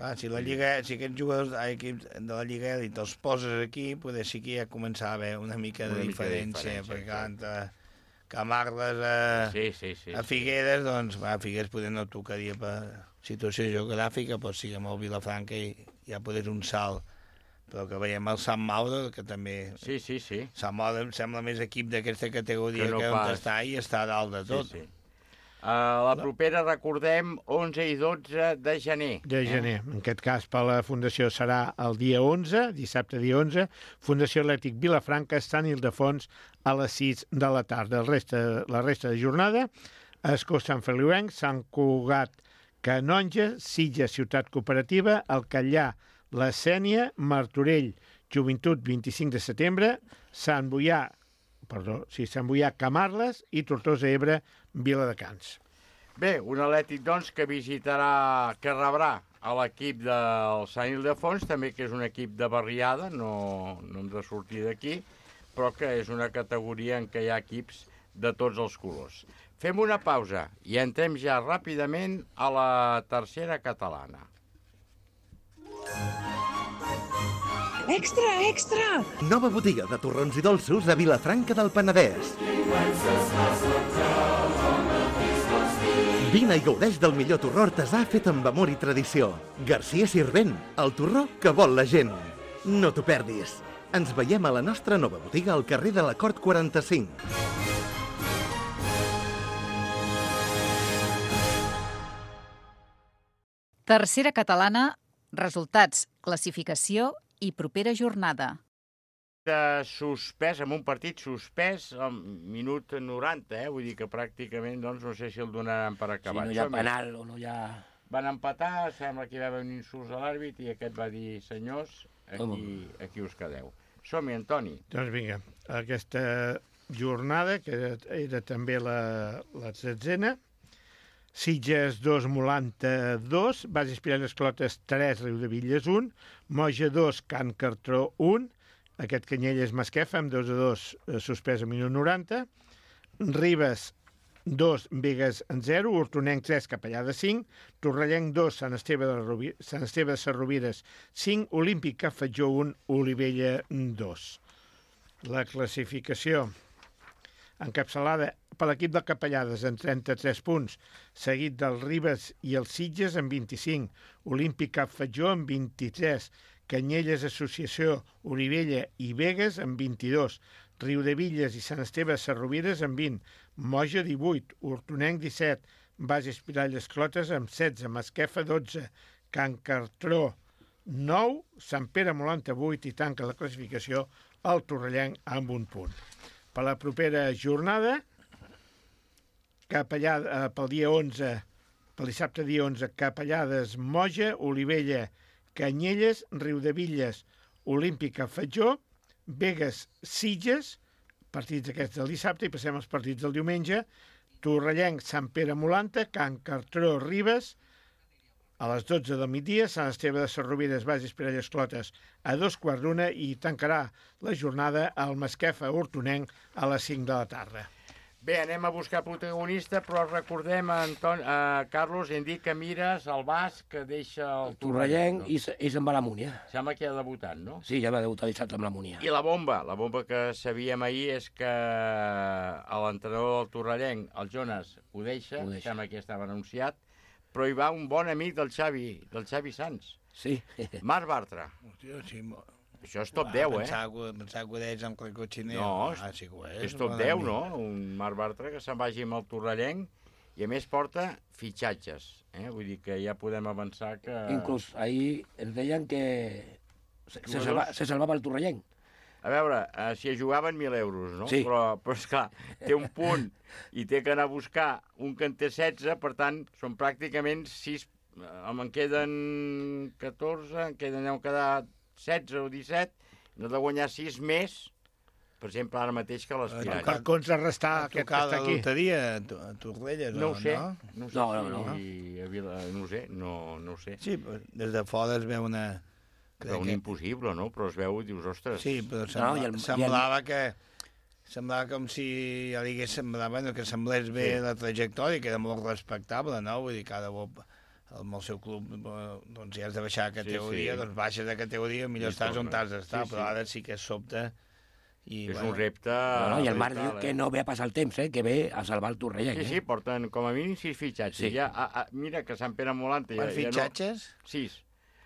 Ah, si, la Lliga, si aquests jugadors ai, equips de la Lliga Elit els poses aquí, poder sí que ja començava a haver una mica de Una mica de diferència, diferència, perquè clar. entre Camarles a, Sí, sí, sí. a Figueres, doncs, va, Figueres poder no tocaria per situació geogràfica, però sí que amb el Vilafranca i ja poder un salt. Però que veiem el Sant Mauro, que també... Sí, sí, sí. Sant Mauro em sembla més equip d'aquesta categoria Que que, no on pas. està i està a dalt de tot. Sí, sí. Uh, la propera, recordem, onze i dotze de gener. De gener. En aquest cas, per la Fundació serà el dia onze, dissabte dia onze, Fundació Atlètic Vilafranca, Sant Ildefons, a les sis de la tarda. El resta, la resta de jornada, Escó, Sant Feliuenc, Sant Cugat, Canonja, Sitges, Ciutat Cooperativa, Alcallà, la Sénia, Martorell, Joventut, vint-i-cinc de setembre, Sant Boià, perdó, sí, Sant Boià, Camarles i Tortosa Ebre, Viladecans. Bé, un Atlètic, doncs, que visitarà, que rebrà a l'equip del Sant Ildefons, també que és un equip de barriada, no, no hem de sortir d'aquí, però que és una categoria en què hi ha equips de tots els colors. Fem una pausa i entrem ja ràpidament a la tercera catalana. Extra, extra! Nova botiga de torrons i dolços a Vilafranca del Penedès. Vine i gaudeix del millor torró artesà fet amb amor i tradició. Garcia Sirvent, el torró que vol la gent. No t'ho perdis. Ens veiem a la nostra nova botiga al carrer de la Cort quaranta-cinc. Tercera catalana, resultats, classificació i propera jornada. De suspès, amb un partit suspès al minut noranta, eh? Vull dir que pràcticament, doncs, no sé si el donaran per acabat. Si no hi ha penal o no hi ha... Van empatar, sembla que hi va haver un insult a l'àrbit i aquest va dir, senyors, aquí, aquí us quedeu. Som-hi, Antoni. Doncs vinga, aquesta jornada, que era, era també la, la tretzena, Sitges dos, Molanta dos, Bases Piralles Clotes tres, Riudevilles un, Moja dos, Can Cartró un, aquest Canyelles Masquefa amb dos a dos, suspès a minut noranta, Ribes dos, Begues zero, Hortonenc tres, Capellada cinc, Torrellenc dos, Sant Esteve de, Rovi... Sant Esteve de Sarrovires cinc, Olímpic Cafetjó un, Olivella dos. La classificació encapçalada per l'equip de Capellades amb trenta-tres punts, seguit del Ribes i el Sitges amb vint-i-cinc, Olímpic Cafetjó amb vint-i-tres, Canyelles Associació, Olivella i Begues amb vint-i-dos, Riudevilles i Sant Esteve de Sarrovires amb vint, Moja divuit, Hortonenc disset, Bases Piralles Clotes amb setze, Masquefa dotze, Can Cartró nou, Sant Pere Molanta vuit i tanca la classificació el Torrellenc amb un punt. Per la propera jornada, Capellada, pel dia onze, pel dissabte dia onze, Capellades, Moja, Olivella, Canyelles, Riudevilles, Olímpic Cafetjó, Begues, Sitges, partits aquests del dissabte, i passem als partits del diumenge, Torrellenc, Sant Pere Molanta, Can Cartró, Ribes, a les dotze del migdia, Sant Esteve de Sarrovires, Bases Piralles Clotes, a dos quarts d'una, i tancarà la jornada al Masquefa Hortonenc a les cinc de la tarda. Bé, anem a buscar protagonista, però recordem, Anton, eh, Carlos, hem dit que mires el basc que deixa el Torrellenc i, i se'n va a la Múnia. Sembla que ha debutat, no? Sí, ja va debutar dissabte amb la Múnia. I la bomba, la bomba que sabíem ahir és que l'entrenador del Torrellenc, el Jonas, ho deixa, ho deixa. Sembla que ja estava anunciat, però hi va un bon amic del Xavi, del Xavi Sanz. Sí. Marc Bartra. Hòstia, sí, això és top deu, eh? Pensava que ho deies amb el cotxiner. No, ah, sí que ho és. és top deu, no? Un Marc Bartra que se'n vagi amb el Torrellenc i a més porta fitxatges. Eh? Vull dir que ja podem avançar que... Inclús ahir ens deien que se, se, salva, se salvava el Torrellenc. A veure, eh, si jugaven mil euros, no? Sí. Però, però esclar, té un punt i té que anar a buscar un que en té setze, per tant, són pràcticament sis... En queden catorze, en queden, deu quedar setze o disset, no de guanyar sis més, per exemple, ara mateix que les Piralles. Per contrarrestar aquest que està aquí. Loteria a Torrelles, no ho sé, no? No, sé no, si no, no. A Vila, no ho sé, no, no ho sé. Sí, des de fora es veu una... Però un impossible, no? Però es veu i dius, ostres... Sí, però sembla, no, el, semblava el... que... Semblava com si ja digués, semblava, bueno, que semblés bé sí. La trajectòria, que era molt respectable, no? Vull dir, cada cop amb el seu club, doncs ja has de baixar de categoria, sí, sí. Doncs baixes de categoria, millor I estàs on t'has d'estar, sí, però ara sí que és sobte. I, és bueno, un repte... No, no, I el Marc diu que no ve a passar el temps, eh, que ve a salvar el Torrellenc. Sí, sí, porten com a mínim sis fitxatges. Sí. Ja, a, a, mira que Sant Pere Molanta... Quants ja, fitxatges? Ja no, sis.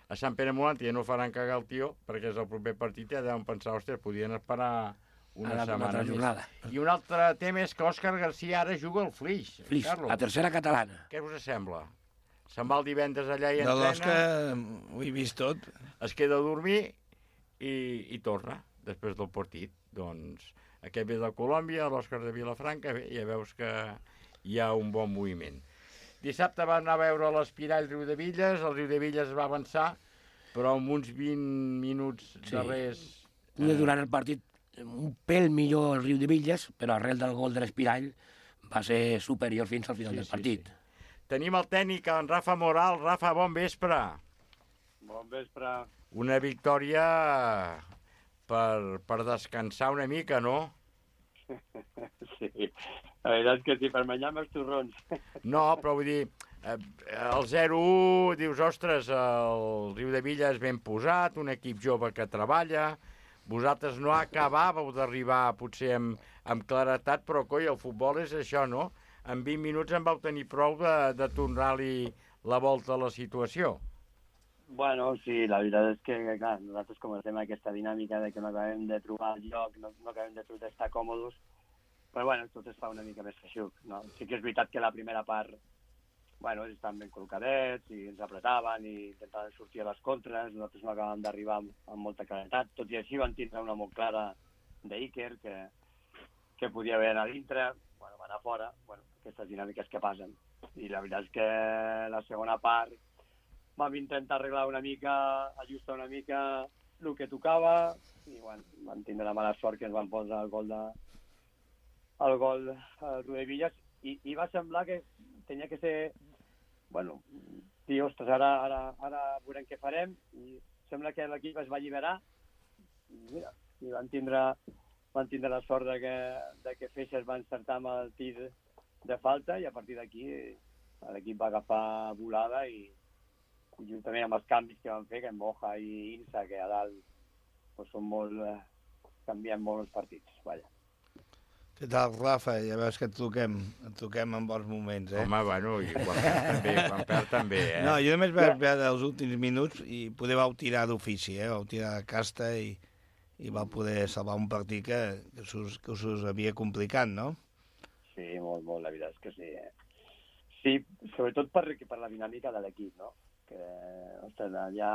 A Sant Pere Molanta ja no faran cagar el tio, perquè és el proper partit, ja deuen pensar, ostres, podien esperar una la, setmana més. Jornada. I un altre tema és que Òscar García ara juga al Flix. Flix, la tercera catalana. Què us sembla? Se'n va el divendres allà i entrena. De l'Òscar ho he vist tot. Es queda a dormir i, i torna, després del partit. Doncs aquest ve de Colòmbia, l'Òscar de Vilafranca, bé, ja veus que hi ha un bon moviment. Dissabte va anar a veure l'Espirall Riudevilles, el Riudevilles va avançar, però amb uns vint minuts sí. darrers... Podia eh... durant el partit un pèl millor el Riudevilles, però arrel del gol de l'Espirall va ser superior fins al final sí, del partit. Sí, sí. Tenim el tècnic, en Rafa Moral. Rafa, bon vespre. Bon vespre. Una victòria per, per descansar una mica, no? Sí, la veritat és que sí, per menjar-me els torrons. No, però vull dir, eh, el zero u, dius, ostres, el Riu de Villa és ben posat, un equip jove que treballa, vosaltres no acabàveu d'arribar potser amb, amb claretat, però coi, el futbol és això, no? En vint minuts en vau tenir prou de, de tornar-li la volta a la situació. Bueno, sí, la veritat és que, clar, nosaltres com estem en aquesta dinàmica de que no acabem de trobar el lloc, no, no acabem de trobar estar còmodes, però bueno, tot es fa una mica més feixuc, no? Sí que és veritat que la primera part, bueno, ells estaven ben col·locadets i ens apretaven i intentaven sortir a les contres, nosaltres no acabàvem d'arribar amb, amb molta claretat, tot i així van tindre una molt clara d'Iker, que, que podia haver anat a dintre, bueno, va anar fora, bueno, aquestes dinàmiques que passen. I la veritat és que la segona part vam intentar arreglar una mica, ajustar una mica el que tocava i bueno, vam tindre la mala sort que ens van posar el gol de el gol al Rodevillas i, i va semblar que tenia que ser, bueno, dir, ostres, ara, ara, ara veurem què farem i sembla que l'equip es va alliberar i mira, i van tindre, van tindre la sort de que, de que Feixes va encertar amb el tir de falta i a partir d'aquí l'equip va agafar volada i i juntament amb els canvis que van fer, que en Moja i Insa, que a dalt pues, són molt, eh, canvien molt els partits, vaja. Què tal, Rafa? Ja veus que et truquem, et truquem en bons moments, eh? Home, bueno, i quan perd també, quan perd també, eh? No, jo només vaig veure els últims minuts i poder vau tirar d'ofici, eh? Vau tirar de casta i, i vau poder salvar un partit que, que, us, que us havia complicat, no? Sí, molt, molt, la veritat és que sí. Eh? Sí, sobretot per, per la dinàmica de l'equip, no? Que, ostres, allà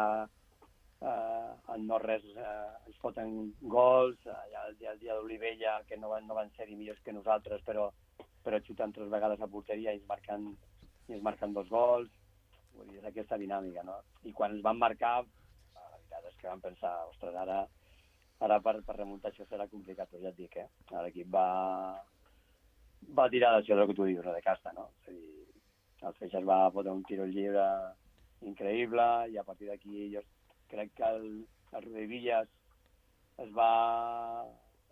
eh, en no res eh, ens foten gols, allà el dia, el dia d'Olivella, que no van, no van ser millors que nosaltres, però, però xuten tres vegades a porteria i ens marquen, i ens marquen dos gols, vull dir, és aquesta dinàmica, no? I quan ens van marcar, la veritat és que vam pensar, ostres, ara, ara per, per remuntar això serà complicat, però ja et dic, eh? L'equip va, va tirar d'això del que tu dius, no? De casta, no? És a dir, el Feixes va fotre un tiro lliure increïble i a partir d'aquí jo crec que el, el Rodevillas es va,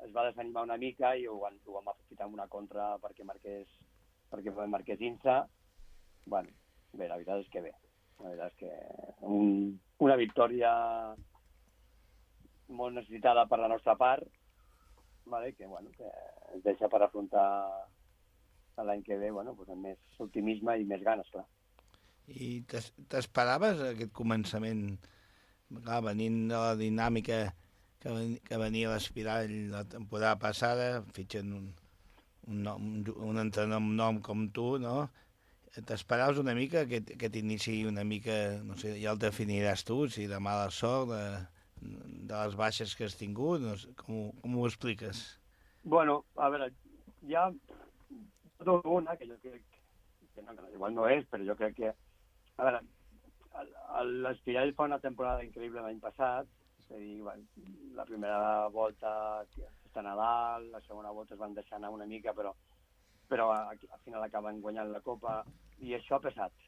es va desanimar una mica i ho van, ho vam aprofitar amb una contra perquè marqués, perquè marqués Insa. Bueno, bé, la veritat és que bé. La veritat és que un, una victòria molt necessitada per la nostra part, vale? que, bueno, que ens deixa per afrontar l'any que ve bueno, pues amb més optimisme i més ganes, clar. I t'esperaves aquest començament, clar, venint de la dinàmica que, ven, que venia l'Espirall la temporada passada, fitxen un, un, nom, un entrenador amb nom com tu, no? T'esperaves una mica que, que t'iniciï una mica, no sé, ja el definiràs tu, si de mala sort, de, de les baixes que has tingut, no sé, com, com ho expliques? Bueno, a veure, hi ha tota una que jo crec que no, que igual no és, però jo crec que a veure, l'Espirall fa una temporada increïble l'any passat, és a dir, bueno, la primera volta estan a dalt, la segona volta es van deixar anar una mica, però, però al final acaben guanyant la Copa, i això ha pesat,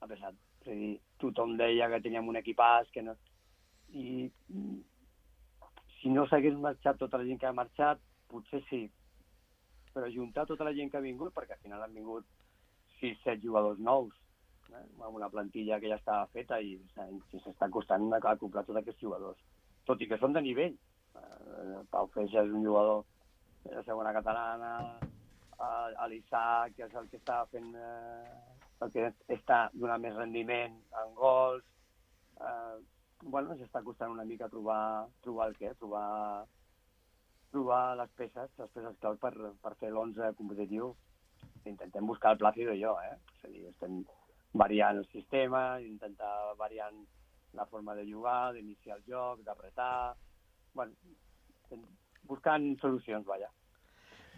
ha pesat. És a dir, tothom deia que teníem un equipàs, que no... I si no s'hagués marxat tota la gent que ha marxat, potser sí, però juntar tota la gent que ha vingut, perquè al final han vingut sis set jugadors nous, amb una plantilla que ja estava feta i s'està costant acoplar tots aquests jugadors. Tot i que són de nivell. Pau Feixa és un jugador de la segona catalana, l'Isaac, que és el que està fent, el que està donant més rendiment en gols. Bueno, s'està costant una mica trobar, trobar el què? Trobar, trobar les peces, les peces clau per, per fer l'onze competitiu. Intentem buscar el Plácido i jo, eh? És a dir, estem variant el sistema, intentar variant la forma de jugar, d'iniciar el joc, d'apretar... Bueno, buscant solucions, vaja.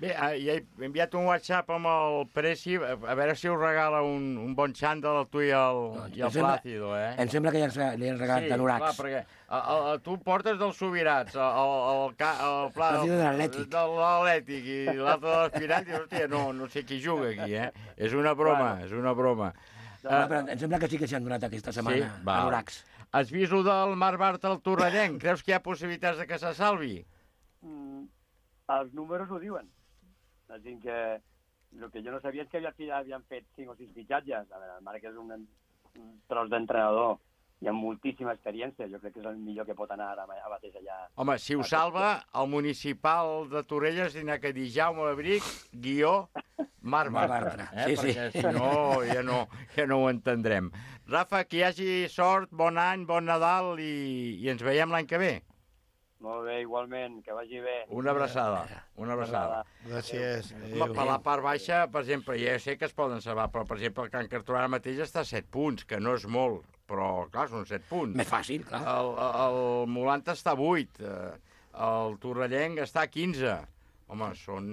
Bé, ja he enviat un WhatsApp amb el Preci, a veure si us regala un, un bon xandall a tu i el, no, i el Plácido, eh? Em sembla que ja li han regalat sí, anoracs. Sí, clar, perquè a, a, tu portes dels Sobirats, el, el, el, el, el Plácido de l'Atlètic. De l'Atlètic i l'altre de l'Espirall, i hòstia, no, no sé qui juga aquí, eh? És una broma, bueno. és una broma. Ah, però em sembla que sí que s'han donat aquesta setmana Sí? Val. anoracs. Has vist el del Mar Bart al Torrellenc? Creus que hi ha possibilitats de que se salvi? Mm, els números ho diuen. Així que el que jo no sabia és que havia, havien fet cinc o sis fitxatges. A veure, el Marc és un, un tros d'entrenador i amb moltíssima experiència. Jo crec que és el millor que pot anar ara mateix allà. Home, si ho salva, el municipal de Torelles tindrà que dir Jaume Abric, guió, Mar Bartra. Eh? Sí, sí. Perquè si no ja, no, ja no ho entendrem. Rafa, que hi hagi sort, bon any, bon Nadal i, i ens veiem l'any que ve. Molt bé, igualment, que vagi bé. Una abraçada, una abraçada. Gràcies. Home, per la part baixa, per exemple, ja sé que es poden salvar, però, per exemple, el Can Cartó ara mateix està a set punts, que no és molt, però, clar, són set punts. Més fàcil, clar. El, el Molanta està a vuit, el Torrellenc està a quinze. Home, són,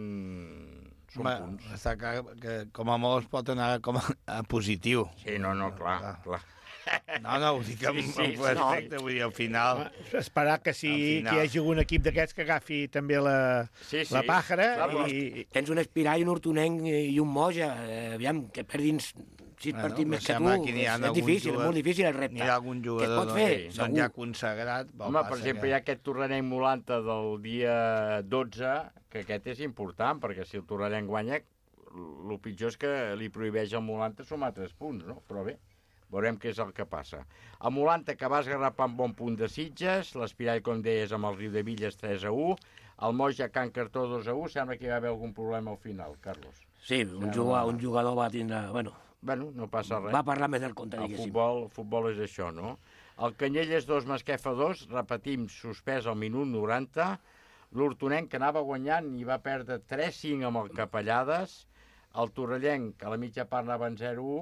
són Home, punts. està clar que com a molt es pot anar com a, a positiu. Sí, no, no, clar, clar. clar. No, no, ho dic amb Sí, sí, sí, respecte, no. vull dir, al final... Esperar que, si, final. que hi hagi un equip d'aquests que agafi també la, sí, sí. la pàjara. Clar, I... Tens un Espirall, un Hortonenc i un Moja. Eh, aviam, que perdin sis Bueno, partits més que sembla tu. que n'hi ha És, és algun difícil, jugador- és molt difícil el repte. N'hi ha algun Què es jugador pot fer? doncs, doncs ja consagrat. vol Home, per passa exemple, que- hi ha aquest Torrellenc Molanta del dia dotze, que aquest és important, perquè si el Torrellenc guanya, el pitjor és que li prohibeix al Molanta sumar tres punts, no? Però bé, veurem què és el que passa. El Molanta, que va esgarrapar un bon punt de Sitges, l'Espirall, com deies, amb el Riu de Villes tres a u, el Moja Can Cartó dos a u, sembla que hi va haver algun problema al final, Carlos. Sí, un jugador, un jugador va tindre... Bueno, Bueno, no passa res. va parlar més del compte, El diguéssim. futbol, el futbol és això, no? El Canyelles dos, Masquefa dos, repetim, suspès al minut noranta. L'Hortonenc, que anava guanyant i va perdre tres cinc amb el Capellades. El Torrellenc, que a la mitja part anava en zero a u,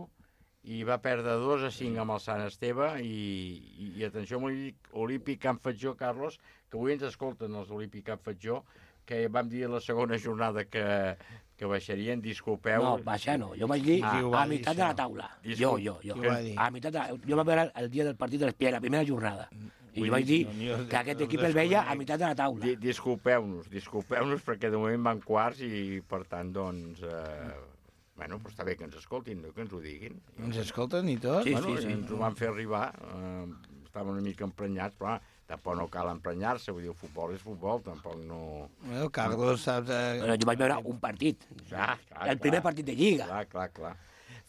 i va perdre dos a cinc amb el Sant Esteve. I, i, i atenció amb l'Olímpic Can Fatjó, Carlos, que avui ens escolten els Olímpic Can Fatjó, que vam dir a la segona jornada que, que baixarien, disculpeu. No, baixar no. Jo vaig dir Ah, a meitat de la taula. Jo, jo, jo. Qui ho va dir? A meitat de la... Jo vaig veure el dia del partit de l'Espirall, la primera jornada. I jo vaig dir que aquest equip el veia a meitat de la taula. Di disculpeu-nos, disculpeu-nos, perquè de moment van quarts i, per tant, doncs... Eh, bueno, però està bé que ens escoltin, no? Que ens ho diguin. Ens escolten i tot? Sí, bueno, sí, sí. Ens ho van fer arribar, eh, estaven una mica emprenyats, però tampoc no cal emprenyar-se, vull dir, el futbol és futbol, tampoc no... Bueno, Carlos, saps... Eh... Bueno, jo vaig veure un partit, clar, clar, el primer clar. partit de Lliga. Clar, clar, clar.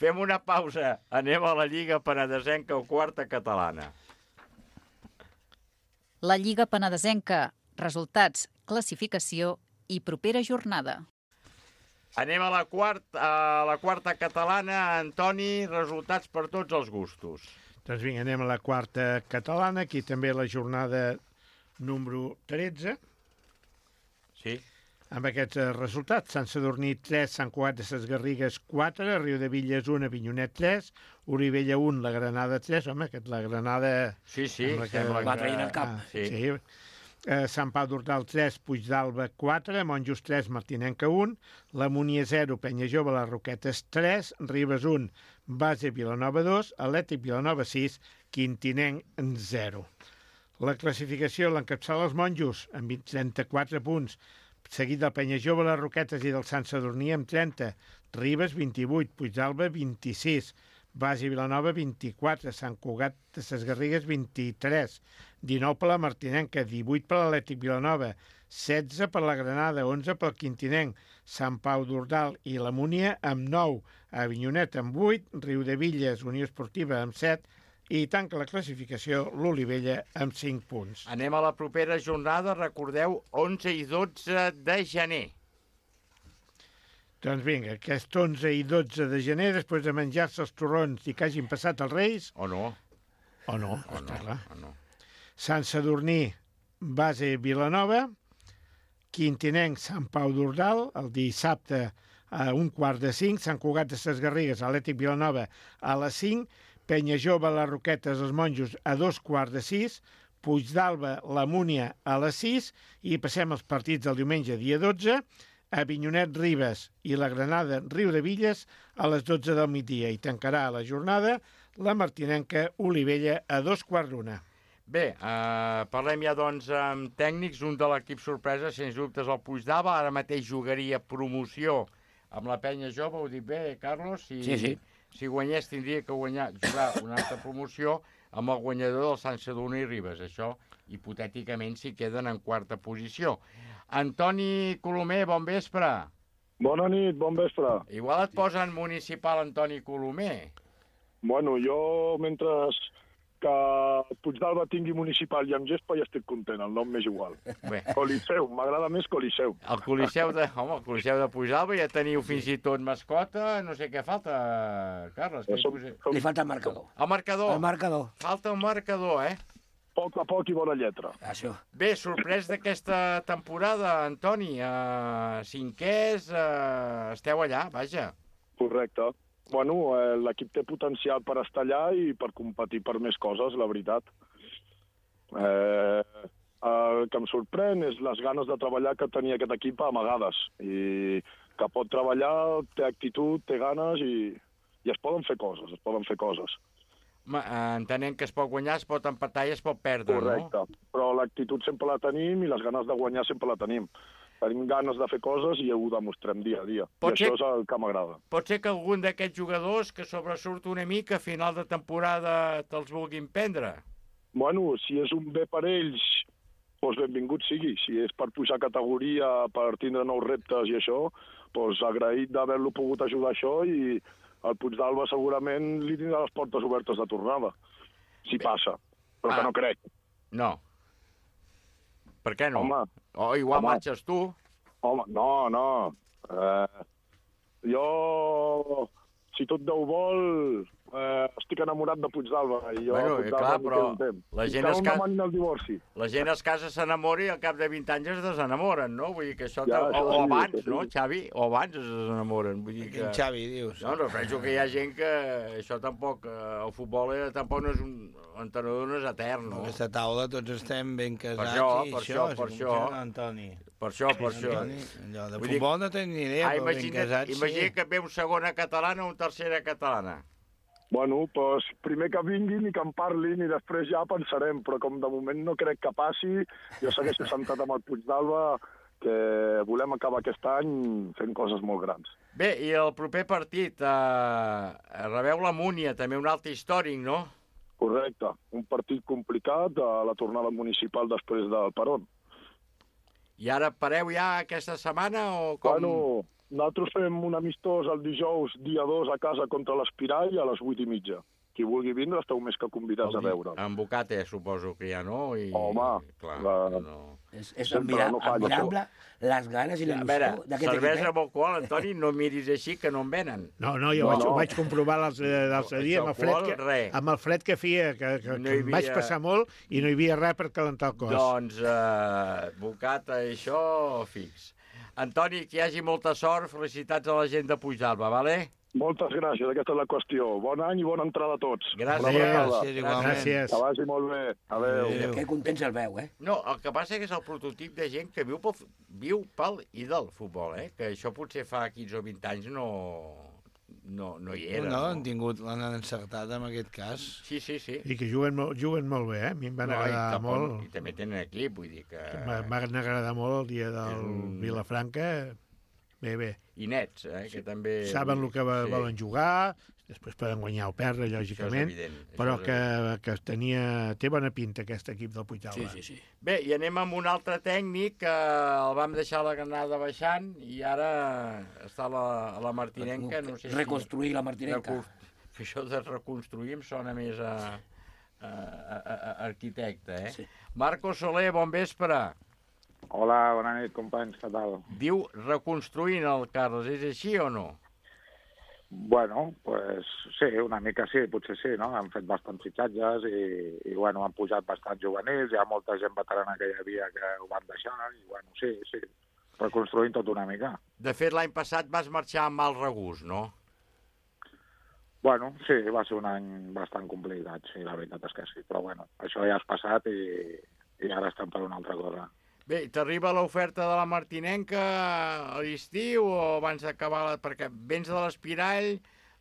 Fem una pausa, anem a la Lliga Penedesenca o quarta catalana. La Lliga Penedesenca, resultats, classificació i propera jornada. Anem a la, quart, a la quarta catalana. Antoni, resultats per tots els gustos. Doncs vinga, anem a la quarta catalana, aquí també la jornada número tretze. Sí. Amb aquests eh, resultats, Sant Sadurní tres, Sant Cugat de ses Garrigues quatre, Riu de Villes un, Avinyonet tres, Olivella un, la Granada tres, home, aquest la Granada... Sí, sí, sembla sembla Va traient el cap. Ah, Sí. sí. Eh, Sant Pau d'Hortal tres, Puigdàlber quatre, Monjos tres, Martinenca un, la Munier zero, Penya Jove, les Roquetes tres, Ribes un, Base Vilanova dos, Atlètic Vilanova sis, Quintinenc zero. La classificació l'encapçala els Monjos amb trenta-quatre punts, seguit del Penya Jove, les Roquetes i del Sant Sadurní amb trenta, Ribes vint-i-vuit, Puigdàlber vint-i-sis, Base Vilanova vint-i-quatre, Sant Cugat de ses Garrigues vint-i-tres, dinou per la Martinenca, divuit per l'Atlètic Vilanova, setze per la Granada, onze pel Quintinenc, Sant Pau d'Ordal i la Múnia amb nou, Avinyonet amb vuit, Riu de Villes, Unió Esportiva amb set, i tanca la classificació l'Olivella amb cinc punts. Anem a la propera jornada, recordeu, onze i dotze de gener. Doncs vinga, aquest onze i dotze de gener, després de menjar-se els torrons i que hagin passat els Reis... O no. O no, O està no, clar. o no. Sant Sadurní, Base Vilanova, Quintinenc, Sant Pau d'Ordal, el dissabte a un quart de cinc, Sant Cugat de ses Garrigues, Atlètic Vilanova a les cinc, Penya Jove, les Roquetes, els Monjos a dos quarts de sis, Puigdàlber, la Múnia a les sis, i passem als partits del diumenge, dia dotze, Avinyonet, Ribes i la Granada, Riu de Villes a les dotze del migdia, i tancarà la jornada la Martinenca, Olivella a dos quarts d'una. Bé, eh, parlem ja doncs amb tècnics. Un de l'equip sorpresa, sens dubtes, el Puigdàlber. Ara mateix jugaria promoció amb la Penya Jove, ho dic bé, Carlos? I, Sí, sí. si guanyés tindria que guanyar, jugar una altra promoció amb el guanyador del Sant Sadurní i Ribes. Això, hipotèticament, si queden en quarta posició. Antoni Colomer, bon vespre. Bona nit, bon vespre. Igual et posen municipal Antoni Colomer. Bueno, jo, mentre que Puigdàlber tingui municipal i amb gespa, ja estic content, el nom m'és igual. Bé. Coliseu, m'agrada més Coliseu. El Coliseu de, home, el Coliseu de Puigdàlber, ja teniu fins i tot mascota, no sé què falta, Carles. Què som, som... Li falta el marcador. El marcador. El marcador. Falta un marcador, eh? Poc a poc i bona lletra. Això. Bé, sorprès d'aquesta temporada, Antoni. Uh, cinquers, uh, esteu allà, vaja. Correcte. Bueno, eh, l'equip té potencial per estar allà i per competir per més coses, la veritat. Eh, el que em sorprèn és les ganes de treballar que tenia aquest equip amagades. I que pot treballar, té actitud, té ganes i, i es poden fer coses, es poden fer coses. Entenent que es pot guanyar, es pot empatar i es pot perdre, Correcte. No? Correcte, però l'actitud sempre la tenim i les ganes de guanyar sempre la tenim. Tenim ganes de fer coses i ho demostrem dia a dia. Pot I ser... això és el que m'agrada. Pot ser que algun d'aquests jugadors que sobresurt una mica a final de temporada te'ls vulguin prendre? Bueno, si és un bé per ells, doncs benvingut sigui. Si és per pujar categoria, per tindre nous reptes i això, doncs agraït d'haver-lo pogut ajudar això i el Puigdàlber segurament li tindrà les portes obertes de tornada, si bé. Passa, però ah. que no crec. No. Per què no? Home, o igual home. marxes tu. Home, no, no. Eh, jo, si tot Déu vol, eh, estic enamorat de Puigdàlber. I jo, bueno, clar, però la gent, es ca... el divorci. la gent es casa, s'enamora i al cap de vint anys es desenamoren, no? Vull dir que això... Ja, o, això o sí, abans, sí. no, Xavi? O abans es desenamoren. Vull dir que... Quin Xavi, dius? No, no, penso que hi ha gent que això tampoc... El futbol tampoc no és un... L'entrenador no és etern, no? A aquesta taula tots estem ben casats per això, i per això, això, per això. Antoni. Per això, per això. Antoni, allò de Vull futbol dir... no tenia ni idea, ah, però ben casats, imagina sí. que ve un segona catalana o un tercera catalana. Bueno, doncs primer que vinguin i que en parlin i després ja pensarem, però com de moment no crec que passi, jo segueixo sentat amb el Puigdàlber que volem acabar aquest any fent coses molt grans. Bé, i el proper partit, eh, rebeu la Múnia, també un altre històric, no? Correcte, un partit complicat a la tornada municipal després del Peron. I ara pareu ja aquesta setmana o com? Bueno, nosaltres fem un amistós el dijous, dia dos, a casa contra l'Espirall a les vuit i mitja. Qui vulgui vindre esteu més que convidats a veure. En Bocate suposo que ja no. I... Home, clar, la... no. És, és admirable, no admirable les ganes i la il·lusió d'aquest equip. Cervesa amb alcohol, Antoni, no miris així que no en venen. No, no, jo no, vaig, no. ho vaig comprovar l'altre dia amb el, fred que, amb el fred que feia, que, que, no que em havia... vaig passar molt i no hi havia res per calentar el cos. Doncs, eh, Bocata, això fix. Antoni, que hi hagi molta sort, felicitats a la gent de Puigdàlber, vale? Moltes gràcies, aquesta és la qüestió. Bon any i bona entrada a tots. Gràcies. Gràcies, igualment. Gràcies. Que vagi molt bé. Adéu. Adéu. Que contents el veu, eh? No, el que passa que és el prototip de gent que viu pel, viu pel i del futbol, eh? Que això potser fa quinze o vint anys no, no, no hi era. No, no, no? han tingut, l'han encertat en aquest cas. Sí, sí, sí. I que juguen, juguen molt bé, eh? A mi em van no, agradar i tampoc, molt. I també tenen equip, vull dir que... Em van agradar molt el dia del un... Vilafranca. Bé, bé. I nets, eh, que també... Saben el que sí. volen jugar, després poden guanyar o perdre, lògicament, però que, que tenia, té bona pinta aquest equip del Puigdàlber. Sí, sí, sí. Bé, i anem amb un altre tècnic que el vam deixar la Granada baixant i ara està a la, a la Martinenca. No sé reconstruir si... la Martinenca. Que això de reconstruir em sona més a, a, a, a arquitecte, eh? Sí. Marco Soler, bon vespre. Hola, bona nit, companys, què tal? Diu reconstruint el Carles, és així o no? Bueno, pues sí, una mica sí, potser sí, no? Han fet bastants fitxatges i, i bueno, han pujat bastants juvenils, hi ha molta gent veterana que hi havia que ho van deixar i, bueno, sí, sí, reconstruint tot una mica. De fet, l'any passat vas marxar amb mal regust, no? Bueno, sí, va ser un any bastant complicat, sí, la veritat és que sí, però bueno, això ja és passat i, i ara estem per una altra cosa. Bé, t'arriba l'oferta de la Martinenca a l'estiu o abans d'acabar? La... Perquè vens de l'Espirall,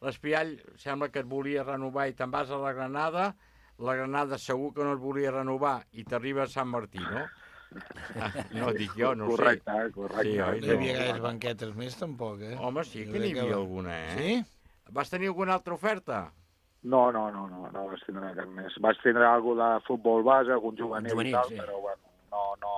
l'Espirall sembla que et volia renovar i te'n vas a la Granada, la Granada segur que no et volia renovar i t'arriba a Sant Martí, no? Ah, no, dic jo, no correcte, sé. Correcte, correcte. Sí, no hi havia gaires banquetes més, tampoc, eh? Home, sí que n'hi havia alguna, eh? Sí? Vas tenir alguna altra oferta? No, no, no, no, no vaig tindre cap més. Vaig tindre alguna de futbol base, algun juvenil, juvenil i tal, sí. Però bueno, no, no,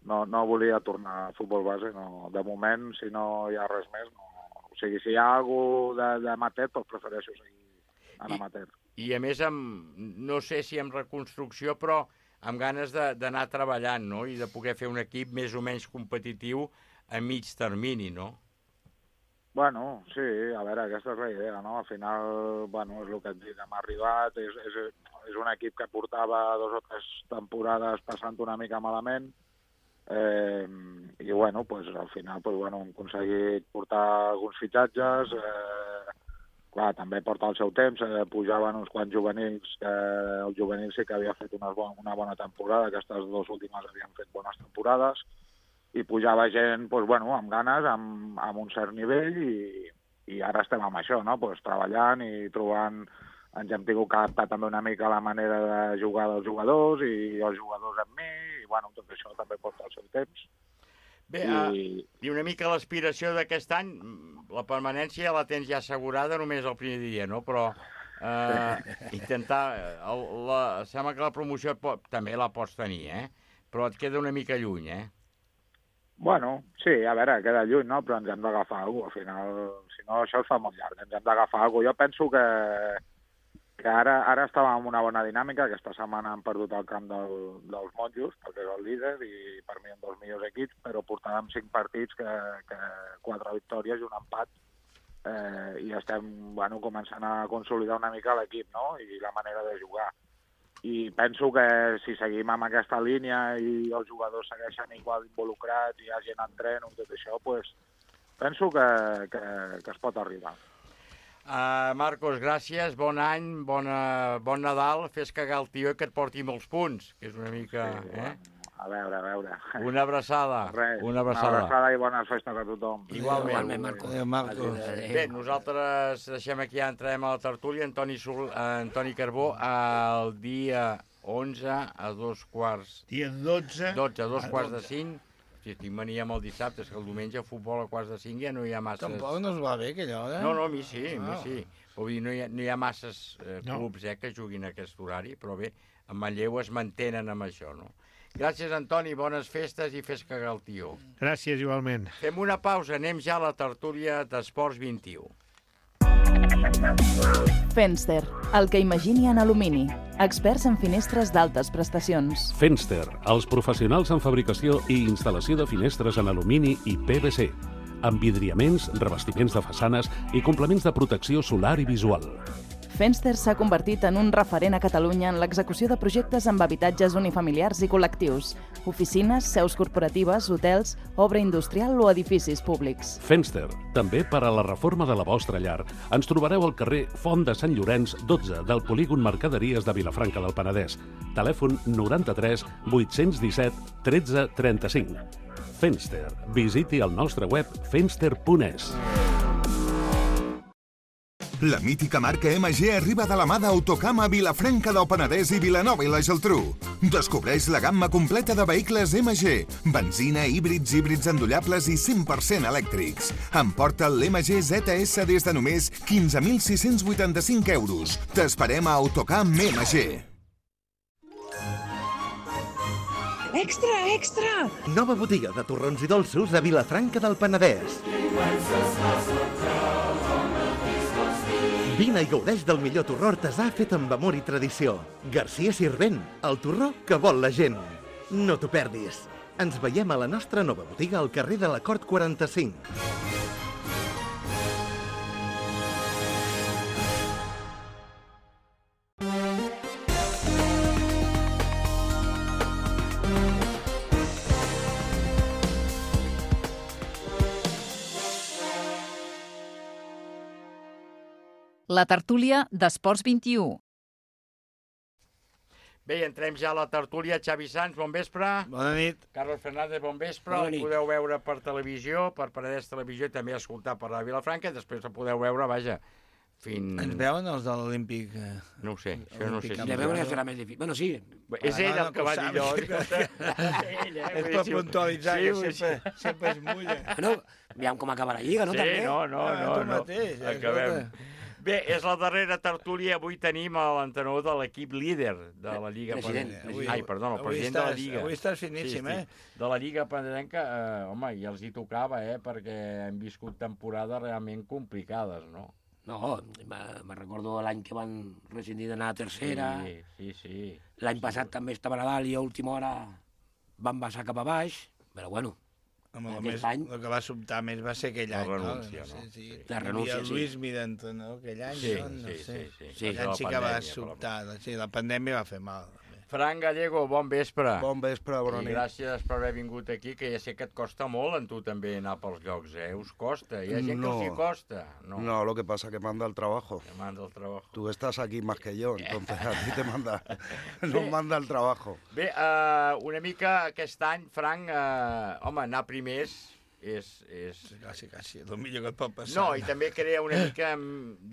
no, no volia tornar a futbol base. No. De moment, si no hi ha res més, no. O sigui, si hi ha alguna d'amateur, doncs prefereixo seguir en amateur. I, i a més, amb, no sé si amb reconstrucció, però amb ganes d'anar treballant, no? I de poder fer un equip més o menys competitiu a mig termini, no? Bueno, sí, a veure, aquesta és la idea, no? Al final, bueno, és el que et dic, hem arribat, és, és, és un equip que portava dos o tres temporades passant una mica malament, eh, i bueno, pues, al final pues, bueno, hem aconseguit portar alguns fitxatges, eh, clar, també porta el seu temps, eh, pujaven uns quants juvenils, que el juvenil sí que havia fet una, bona, una bona temporada, aquestes dues últimes havien fet bones temporades, i pujava gent, doncs, bueno, amb ganes, amb, amb un cert nivell, i, i ara estem amb això, no? Pues, treballant i trobant... Ens hem tingut que adaptar també una mica a la manera de jugar dels jugadors i els jugadors amb mi, i bueno, tot això també porta el seu temps. Bé, I, uh, i una mica l'aspiració d'aquest any, la permanència la tens ja assegurada només el primer dia, no? Però uh, intentar... El, la, sembla que la promoció pot, també la pots tenir, eh? Però et queda una mica lluny, eh? Bueno, sí, a veure, queda lluny, no? Però ens hem d'agafar alguna cosa. Al final, si no, això es fa molt llarg. Ens hem d'agafar alguna cosa. Jo penso que, que ara, ara estàvem en una bona dinàmica. Aquesta setmana hem perdut el camp del, dels Monjos, perquè és el líder, i per mi un dels millors equips, però portàvem cinc partits, que, que quatre victòries i un empat. Eh, I estem, bueno, començant a consolidar una mica l'equip, no? I la manera de jugar. I penso que si seguim amb aquesta línia i els jugadors segueixen igual involucrats i hi ha gent en tren i tot això, pues, penso que, que, que es pot arribar. Uh, Marcos, gràcies, bon any, bona, bon Nadal, fes cagar el tio i que et porti molts punts, que és una mica... Sí, eh? A veure, a veure. Una abraçada. Res, una abraçada. Una abraçada i bones festes a tothom. Igualment. Igualment, Marcos. Adéu, Marcos. Bé, nosaltres deixem aquí, ja entrem a la tertúlia. Antoni, Sol, Antoni Carbó, el dia onze a dos quarts... Dia dotze. dotze a dos quarts de cinc. Si estic mania amb el dissabte, és que el diumenge a futbol a quarts de cinc ja no hi ha masses... Tampoc no es va bé, aquella hora. No, no, a mi sí, a mi Ah. sí. Vull dir, no hi ha, no hi ha masses eh, No. clubs eh, que juguin a aquest horari, però bé, a Manlleu es mantenen amb això, no? Gràcies, Antoni, bones festes i fes cagar el tio. Gràcies, igualment. Fem una pausa, anem ja a la tertúlia d'Esports vint i u. Fenster, el que imagini en alumini. Experts en finestres d'altes prestacions. Fenster, els professionals en fabricació i instal·lació de finestres en alumini i P V C, amb vidriaments, revestiments de façanes i complements de protecció solar i visual. Fenster s'ha convertit en un referent a Catalunya en l'execució de projectes amb habitatges unifamiliars i col·lectius, oficines, seus corporatives, hotels, obra industrial o edificis públics. Fenster, també per a la reforma de la vostra llar. Ens trobareu al carrer Font de Sant Llorenç, dotze, del polígon Mercaderies de Vilafranca del Penedès. Telèfon noranta-tres vuit-cents disset tretze trenta-cinc. Fenster. Visiti el nostre web fenster punt es. La mítica marca M G arriba de la mà d'Autocam a Vilafranca del Penedès i Vilanova i la Geltrú. Descobreix la gamma completa de vehicles M G, benzina, híbrids, híbrids endollables i cent per cent elèctrics. Emporta l'M G Z S des de només quinze mil sis-cents vuitanta-cinc euros. T'esperem a Autocam M G. Extra, extra! Nova botiga de torrons i dolços a Vilafranca del Penedès. Vine i gaudeix del millor torró artesà fet amb amor i tradició. Garcia Sirvent, el torró que vol la gent. No t'ho perdis. Ens veiem a la nostra nova botiga al carrer de la Cort quaranta-cinc. La tertúlia d'Esports vint i u. Bé, entrem ja a la tertúlia. Xavi Sans, bon vespre. Bona nit. Carlos Fernández, bon vespre. Bona El nit. podeu veure per televisió, per Penedès Televisió, i també escoltar per la Vilafranca. Després el podeu veure, vaja, fins... Ens veuen els de l'Olímpic? No ho sé, això no ho sé. De veure serà més difícil. Bueno, sí. És ell el que va dir allò. És per puntualitzar, que sempre es mulla. Bueno, aviam com acaba la Lliga, no? Sí, no, no, no. Acabem. Bé, és la darrera tertúlia. Avui tenim l'entenedor de l'equip líder de la Lliga Penedenca. Ai, perdó, el president de la Lliga. Avui estàs finíssim, eh? De la Lliga Penedenca, home, ja els hi tocava, eh? Perquè hem viscut temporades realment complicades, no? No, me recordo l'any que van rescindir d'anar a tercera. Sí, sí, sí. L'any passat també estava a dalt i a última hora van baixar cap a baix, però bueno, Home, el, més, any... el que va sobtar més va ser aquell any, la renúncia, no? no? no? Sí, sí. La renúncia, sí. Luis Miranda, no? Aquell any, sí, no? no sí, sé. sí, sí. sí. Aquell any sí que va sobtar, sí, la pandèmia va fer mal. Fran Gallego, bon vespre. Bon vespre, bona nit. I gràcies per haver vingut aquí, que ja sé que et costa molt en tu també anar pels llocs, eh? Us costa, hi ha gent no. que els hi costa. No, no, lo que pasa que manda el trabajo. Te manda el trabajo. Tú estás aquí más que yo, entonces a ti te manda, no manda el trabajo. Bé, uh, una mica aquest any, Frank, uh, home, anar primers és... és... Quasi, quasi, el millor que et pot passar. No, i també crea una mica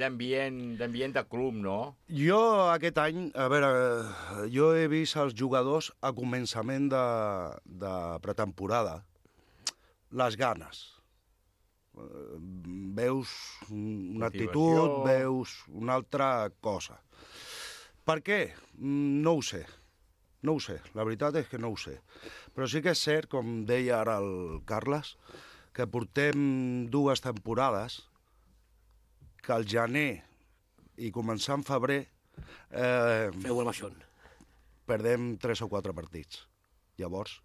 d'ambient d'ambient de club, no? Jo aquest any, a veure, jo he vist els jugadors a començament de, de pretemporada, les ganes. Veus una actitud, veus una altra cosa. Per què? No ho sé. No ho sé, la veritat és que no ho sé. Però sí que és cert, com deia ara el Carles, que portem dues temporades que al gener i començar en febrer eh, feu el baixón. Perdem tres o quatre partits. Llavors,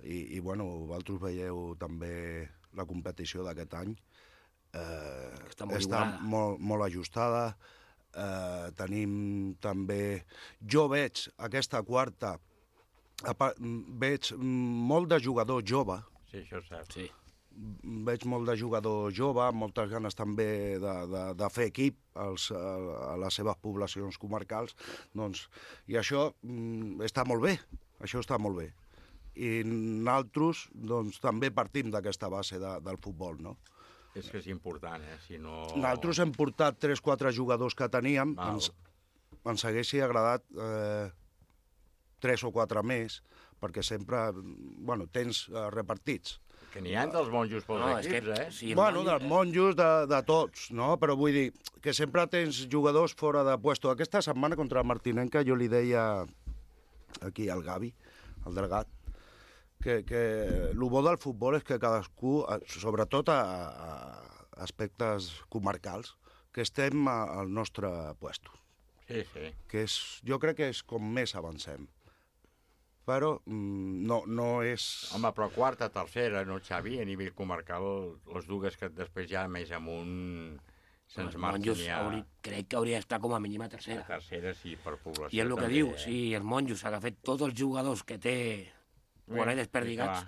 i, i bueno, vosaltres veieu també la competició d'aquest any, eh, està, molt, està molt, molt ajustada. Uh, tenim també... Jo veig aquesta quarta, veig molt de jugador jove. Sí, això és cert. Sí. Veig molt de jugador jove, moltes ganes també de, de, de fer equip als, a, a les seves poblacions comarcals. Doncs, i això mm, està molt bé, això està molt bé. I nosaltres doncs, també partim d'aquesta base de, del futbol, no? És que és important, eh? Si no... Nosaltres hem portat tres o quatre jugadors que teníem, ens, ens haguessi agradat eh, tres o quatre més, perquè sempre, bueno, tens eh, repartits. Que n'hi ha dels monjos pels no, equips, que, eh? Sí, bueno, monjos... dels monjos, de, de tots, no? Però vull dir que sempre tens jugadors fora de puesto. Aquesta setmana contra el Martinenca jo li deia aquí al Gavi, al Delgat, que, que el bo del futbol és que cadascú, sobretot a, a aspectes comarcals, que estem a, al nostre puesto. Sí, sí. Que és, jo crec que és com més avancem. Però mm, no, no és... Home, però quarta, tercera, no, Xavi? A nivell comarcal, les dues que després ja més amunt se'ns marquen ja... Hauria, crec que hauria d'estar com a mínim a tercera. A tercera, sí, per població. I és el que també, diu, eh? sí, el monjos s'ha agafat tots els jugadors que té quan he desperdigats.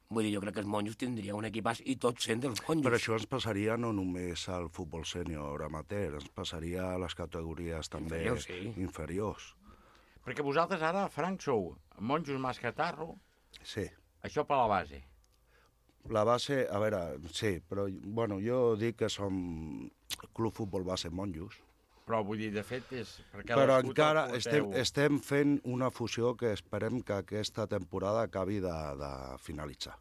Vull dir, jo crec que els monjos tindria un equipàs i tots sent dels monjos. Però això ens passaria no només al futbol sènior amateur, ens passaria a les categories també inferiors. Sí. inferiors. Perquè vosaltres ara, Frank, sou monjos Mascatarro. Sí. Això per la base. La base, a veure, sí, però bueno, jo dic que som Club Futbol Base Monjos. Però vull dir, de fet, és... Però encara estem, estem fent una fusió que esperem que aquesta temporada acabi de, de finalitzar.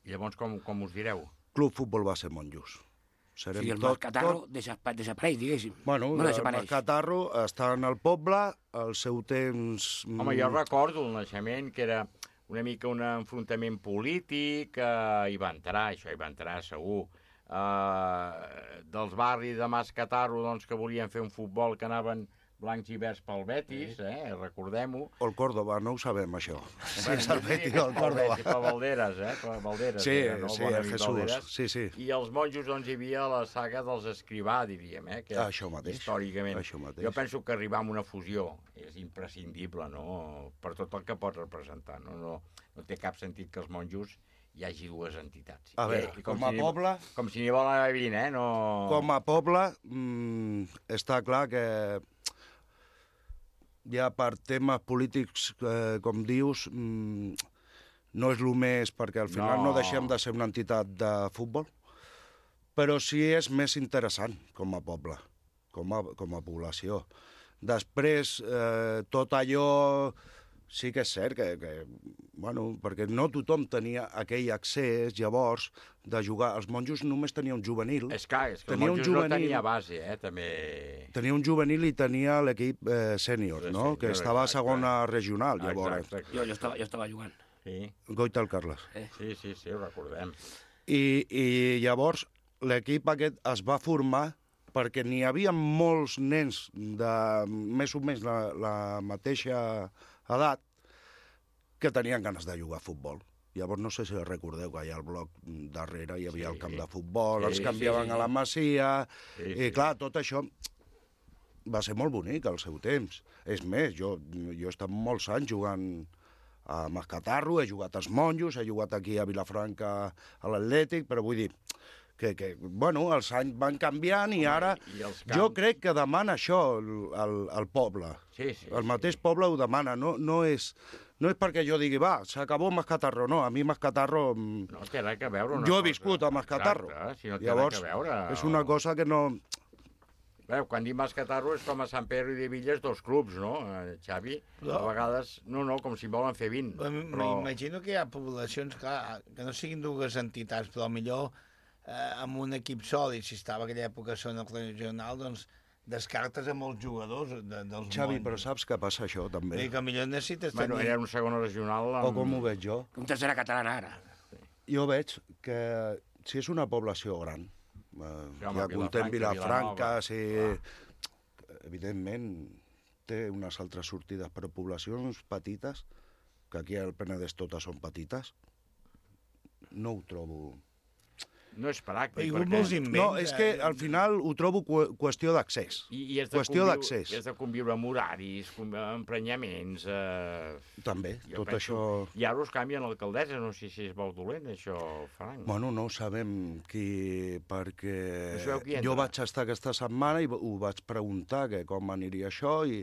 I llavors com, com us direu? Club Futbol Base Monjos. Serem sí, el tot, Mascatarro tot... desapareix, diguéssim. Bueno, no el Mascatarro està en el poble, al seu temps... Home, jo recordo el naixement, que era una mica un enfrontament polític, eh, hi va entrar, això hi va entrar segur, Uh, dels barris de Mascatarro, doncs, que volien fer un futbol que anaven blancs i verds pel Betis, eh? Recordem-ho. O el Córdoba, no ho sabem, això. Sí, és el Betis o el Córdoba. Per Valderes, eh? Per Valderes. Sí, era, no? sí, el Jesús. Valderes. Sí, sí. I els monjos, doncs, hi havia la saga dels Escrivà, diríem, eh? Que això mateix. Històricament. Això mateix. Jo penso que arribar a una fusió és imprescindible, no? Per tot el que pot representar, no? No, no té cap sentit que els monjos hi hagi dues entitats. A veure, I, com, com a si poble... Com si n'hi volen haver vint, eh? No... Com a poble, mmm, està clar que ja per temes polítics, eh, com dius, mmm, no és el més, perquè al final no. no deixem de ser una entitat de futbol, però sí és més interessant com a poble. com a, com a població. Després, eh, tot allò sí que és cert que, que, bueno, perquè no tothom tenia aquell accés, llavors, de jugar. Els monjos només tenia un juvenil. És clar, és que tenia el monjos juvenil, no tenia base, eh, també. Tenia un juvenil i tenia l'equip eh, sènior, no? Sí, que estava a segona regional, llavors. Exacte, exacte. Jo, jo, estava, jo estava jugant. Sí. Goita el Carles. Eh? Sí, sí, sí, ho recordem. I, i llavors l'equip aquest es va formar perquè n'hi havia molts nens de més o menys la, la mateixa edat que tenien ganes de jugar a futbol. Llavors no sé si recordeu que allà al bloc darrere hi havia sí. el camp de futbol, sí, els canviaven sí, sí. a la Masia, sí, sí. i clar, tot això va ser molt bonic al seu temps. És més, jo, jo he estat molts anys jugant a Mascatarro, he jugat als Monjos, he jugat aquí a Vilafranca a l'Atlètic, però vull dir que, que bueno, els anys van canviant i ara I, i camps... jo crec que demana això el, el poble. Sí, sí, el mateix sí. poble ho demana, no, no, és, no és perquè jo digui, va, s'acabó Mascatarro, no, a mi Mascatarro... No té res a veure una jo he cosa. viscut a Mascatarro. Exacte, si no té Llavors, res a veure. És una cosa que no... Veu, quan dic Mascatarro és com a Sant Pere i de Villes dos clubs, no, Xavi? No. A vegades, no, no, com si volen fer vint. Però... M'imagino que hi ha poblacions, clar, que no siguin dues entitats, però millor eh, amb un equip sòlid, si estava a aquella època zona regional, doncs descartes a molts jugadors de, dels Xavi, mons. Però saps que passa això, també? I que millor necessites bueno, tenir... Era un segon regional... Amb... O com ho veig jo? Un tercera catalana, ara. Jo veig que si és una població gran, eh, sí, home, ja contem Vilafranca, sí, evidentment té unes altres sortides, però poblacions petites, que aquí al Penedès totes són petites, no ho trobo... No és pràctic. Perquè... No, és que al final ho trobo qüestió d'accés. I, i qüestió d'accés. I has de conviure amb horaris, amb emprenyaments... Eh... També, tot penso... això... I ara us canvien l'alcaldessa, no sé si és molt dolent, això, Frank. Bueno, no ho sabem qui... perquè qui jo vaig estar aquesta setmana i ho vaig preguntar que com aniria això i,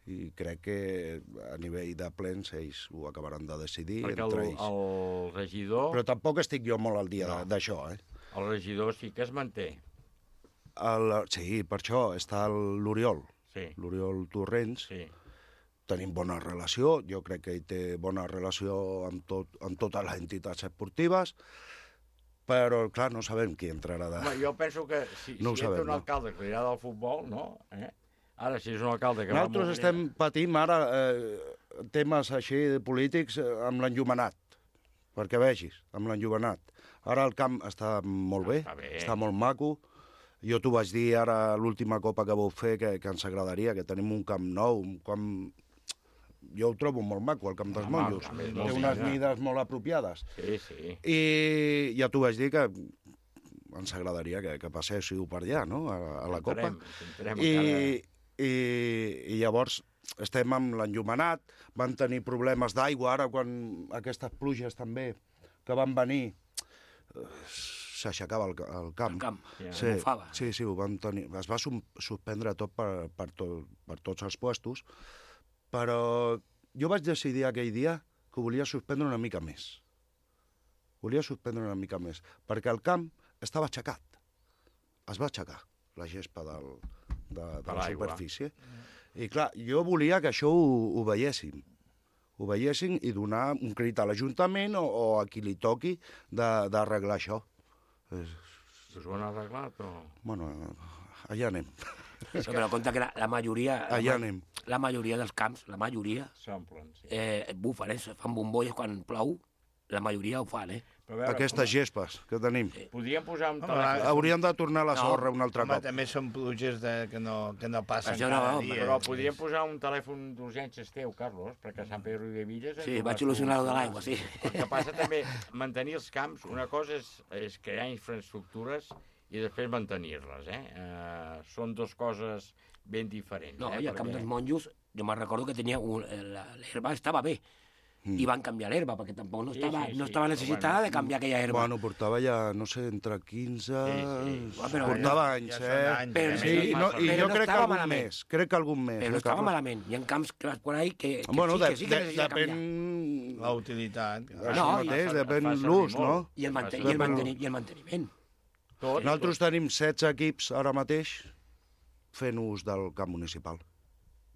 i crec que a nivell de plens ells ho acabaran de decidir perquè entre el, ells. el regidor... Però tampoc estic jo molt al dia no. d'això, eh? El regidor sí que es manté. El, sí, per això està l'Oriol, sí. l'Oriol Torrents. Sí. Tenim bona relació, jo crec que ell té bona relació amb, tot, amb totes les entitats esportives, però, clar, no sabem qui entrarà de... Home, jo penso que si, no si sabem, entra un alcalde que li agrada el futbol, no? Eh? Ara, si és un alcalde que Nosaltres va molt estem patint ara eh, temes així polítics eh, amb l'enllumenat, perquè vegis, amb l'enllumenat. Ara el camp està molt bé, està, bé. està molt maco. Jo t'ho vaig dir ara l'última copa que vau fer, que, que ens agradaria, que tenim un camp nou, un camp... Jo ho trobo molt maco, el camp dels Home, Monjos. Té sí, unes mides molt apropiades. Sí, sí. I ja t'ho vaig dir que ens agradaria que, que passéssiu per allà, no?, a, a la copa. Entrem, I, i, I llavors estem amb l'enllumenat, van tenir problemes d'aigua ara, quan aquestes pluges també que van venir, s'aixecava el, el camp. El camp, ja, sí, sí, sí, ho van tenir. Es va suspendre tot per, per, tot, per tots els puestos, però jo vaig decidir aquell dia que ho volia suspendre una mica més. Volia suspendre una mica més, perquè el camp estava aixecat. Es va aixecar la gespa del, de, de la superfície. I clar, jo volia que això ho, ho veiéssim. ho veiessin i donar un crit a l'Ajuntament o, o a qui li toqui d'arreglar això. Us ho han arreglat o...? Bueno, allà anem. Sí, però compte que la, la majoria... Allà la, anem. La majoria dels camps, la majoria... S'omplen, sí. Eh, bufen, eh? Fan bombolles quan plou. La majoria ho fan, eh? Veure, aquestes com... gespes que tenim. Sí. Podríem posar un telèfon. Hauríem de tornar a la sorra no, un altre home, cop. També són pluges de, que, no, que no passen Això cada no, dia. Però podríem posar un telèfon d'urgències teu, Carlos, perquè a Sant Pedro i de Villes... Sí, vaig solucionar-ho de l'aigua, sí. El que passa també, mantenir els camps, una cosa és, és crear infraestructures i després mantenir-les, eh? Uh, són dues coses ben diferents. No, eh? i al camp dels monjos, jo me'n recordo que tenia un, l'herba estava bé, mm. i van canviar l'herba, perquè tampoc no estava, sí, sí, sí. no estava necessitada bueno, de canviar aquella herba. Bueno, portava ja, no sé, entre quinze... Sí, sí. Però, portava no, anys, ja eh? Anys, però, sí, sí, no, i però jo no crec que algun malament. més, crec que algun més. Però no eh, estava Carlos? malament. Hi ha camps que vas por ahí que, que bueno, sí, de, que sí que de, necessita depèn... canviar. La utilitat. Això no, mateix, depèn l'ús, no? I el, manten i, el manteni I el manteniment. Tot, Nosaltres tot. tenim setze equips ara mateix, fent ús del camp municipal.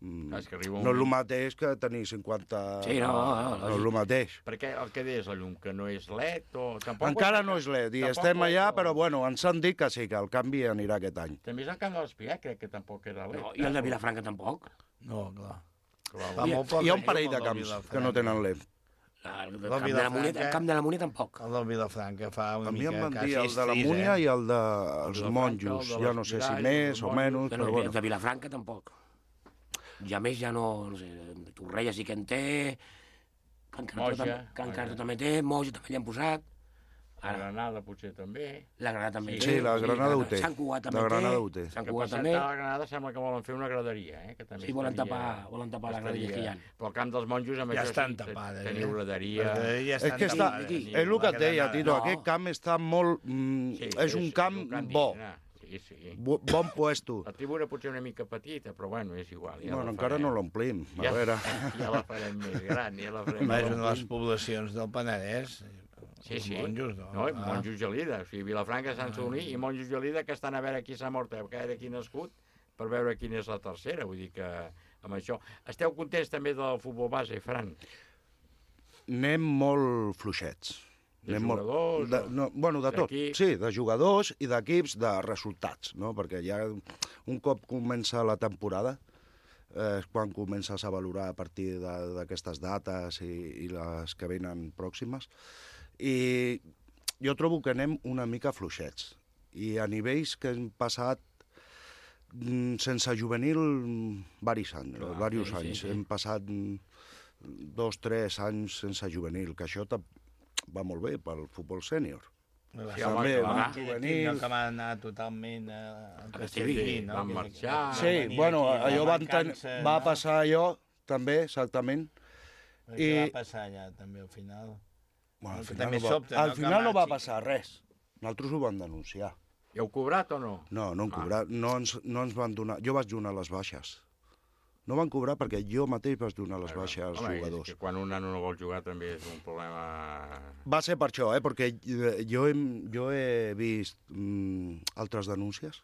Mm. És que arriba un No és el moment- mateix que tenir cinquanta... Sí, no, no, no, no és el mateix. Perquè el que deies, la llum, que no és L E D o... Tampoc Encara no és L E D, i tampoc estem ho és allà, el- però bueno, ens han dit que sí, que el canvi anirà aquest any. També és el camp de l'Espigat, crec que tampoc era L E D. No, i el de Vilafranca tampoc. No, clar. Clar, Hi ha, hi ha un parell de camps que no tenen L E D. El, el, camp de la Múnia, el camp de la Múnia tampoc. El del Vilafranca fa una A mi mica... em van quasi dir el de la estris, Múnia eh? i el dels Vilafranca, monjos. el de Ja no sé si l'Espirall, més o menys, Però, però bueno. bueno. De Vilafranca tampoc. Ja més ja no... no sé, Torrella sí que en té, Can Cartó, Moja, tam Can Moja. Cartó també té, Moja també l'hi han posat. La Granada potser també. La Granada també Sí, la Granada ho té. Sant Cugat també La Granada ho té. Sant Que Cugat per també. cert, a la Granada sembla que volen fer una graderia, eh? Que també Sí, volen estaria- tapar- volen tapar la graderia que hi ha. Però el camp dels monjos amb Ja això estan sí, te- tapades, teniu eh? graderia... Les graderies És que està, és el que et deia, Tito, No. aquest camp està molt... Mm, Sí, és un camp bo, Sí, sí. bo- bon puesto. La tribuna potser una mica petita, però bueno, és igual. Ja Bueno, la encara farem. no l'omplim, a Ja, veure. ja la farem més gran, ja la farem Home, és més una de les gran. poblacions del Penedès. Sí, sí. Monjos, no? no i Ah. monjos Gelida. O sigui, Vilafranca, Sant Sadurní i monjos Gelida, que estan a veure qui s'ha mort, a veure qui ha nascut, per veure quina és la tercera. Vull dir que amb això... Esteu contents també del futbol base, Fran? Anem molt fluixets. De Anem jugadors, de, o no, bueno, de tot. d'equips? Sí, de jugadors i d'equips, de resultats, no? Perquè ja un cop comença la temporada, eh, és quan comences a valorar a partir de- d'aquestes dates i, i les que venen pròximes. I jo trobo que anem una mica fluixets. I a nivells que hem passat mm, sense juvenil varis anys, Clar, diversos sí, sí, anys. sí. Hem passat mm, dos, tres anys sense juvenil, que això tam- va molt bé pel futbol sènior. Sí, També, home, va, clar. juvenil... No que van anar totalment a, a Castellví, no? van Que- marxar. que Sí, van venir bueno, aquí, allò la van ten... mancança, va no? passar allò, també, exactament. Però què va passar allà, també, al final? Bueno, al Que final, també no va, sobta, al no? Que final no va marxi. passar res. Nosaltres ho vam denunciar. I heu cobrat o no? No, no han Ah. cobrat, no ens, no ens van donar... Jo vaig donar les baixes. No van cobrar perquè jo mateix vaig donar les baixes als Home, jugadors. és que quan un nano no vol jugar també és un problema... Va ser per això, eh? Perquè eh, jo he, jo he vist mm, altres denúncies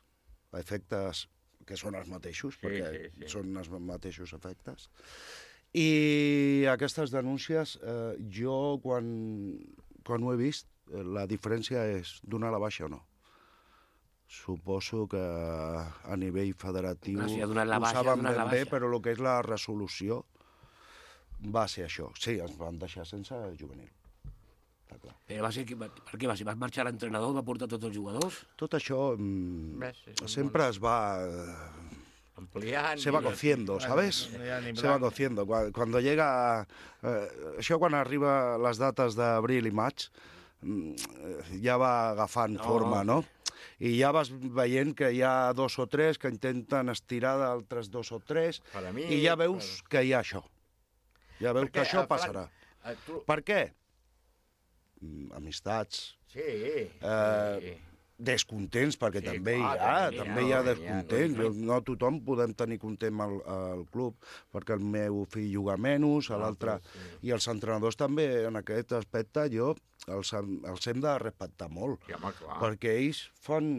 a efectes que són els mateixos, Sí, perquè sí, sí. són els mateixos efectes. I aquestes denúncies, eh, jo quan, quan ho he vist, eh, la diferència és donar la baixa o no. Suposo que a nivell federatiu Clar, si ha donat la ho baixa, ha saben donat la ben bé, baixa. però el que és la resolució va ser això. Sí, ens van deixar sense juvenil. Però va ser, que- per què va ser? Va marxar l'entrenador, va portar tots els jugadors? Tot això mm, Ves, és un sempre es va... eh, Ampliant... se va i- cociendo, ¿sabes? No hi ha ni Se va blanc. cociendo. Cuando, cuando llega... Eh, això quan arriba les dates d'abril i maig, mm, eh, ja va agafant No. forma, no? I ja vas veient que hi ha dos o tres que intenten estirar d'altres dos o tres, Per a mi, i ja veus que hi ha això. Ja veus Perquè, que això eh, Fran, passarà. eh, tu- Per què? Mm, Amistats, Sí, eh, sí. descontents, perquè Sí, també hi clar, ha, també hi ha, també hi ha no, descontents. hi ha, no, No tothom podem tenir content al, al club, perquè el meu fill juga menys, a l'altre... I els entrenadors també, en aquest aspecte, jo els, hem- els hem de respectar molt. Sí, home, clar. Perquè ells fan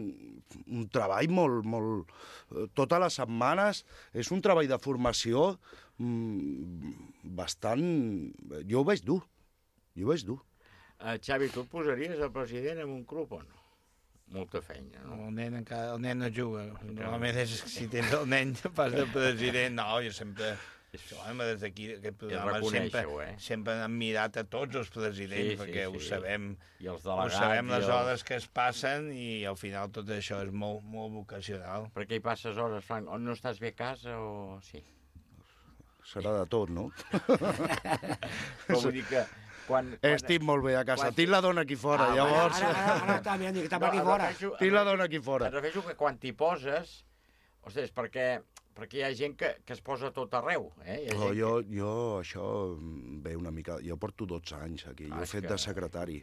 un treball molt... molt eh, totes les setmanes és un treball de formació mm, bastant... Jo ho veig dur, jo ho veig dur. Uh, Xavi, tu et posaries el president en un club o no? Molta feina, no? El nen, encara, el nen no juga. Normalment és que si tens el nen pas de president. No, jo sempre... Home, des d'aquí, aquest programa, sempre, reconèixer-ho, eh? sempre hem mirat a tots els presidents, Sí, sí, perquè ho sí. sabem, I els ho delegats, sabem i les els- hores que es passen i al final tot això és molt, molt vocacional. Per què hi passes hores, Frank? O no estàs bé a casa o... Sí. Serà de tot, no? Però vull dir que... Quan, quan... Estic molt bé a casa. Tinc la dona aquí fora, Ah, llavors... Ara, ara, ara està mirant que està per aquí em fora. refereixo- Tinc la dona aquí fora. Em refereixo que quan t'hi poses... Ostres, perquè, perquè hi ha gent que, que es posa a tot arreu, eh? Hi ha Oh, gent jo, jo, això mm, ve una mica... Jo porto dotze anys aquí, jo Ah, he és fet que- de secretari.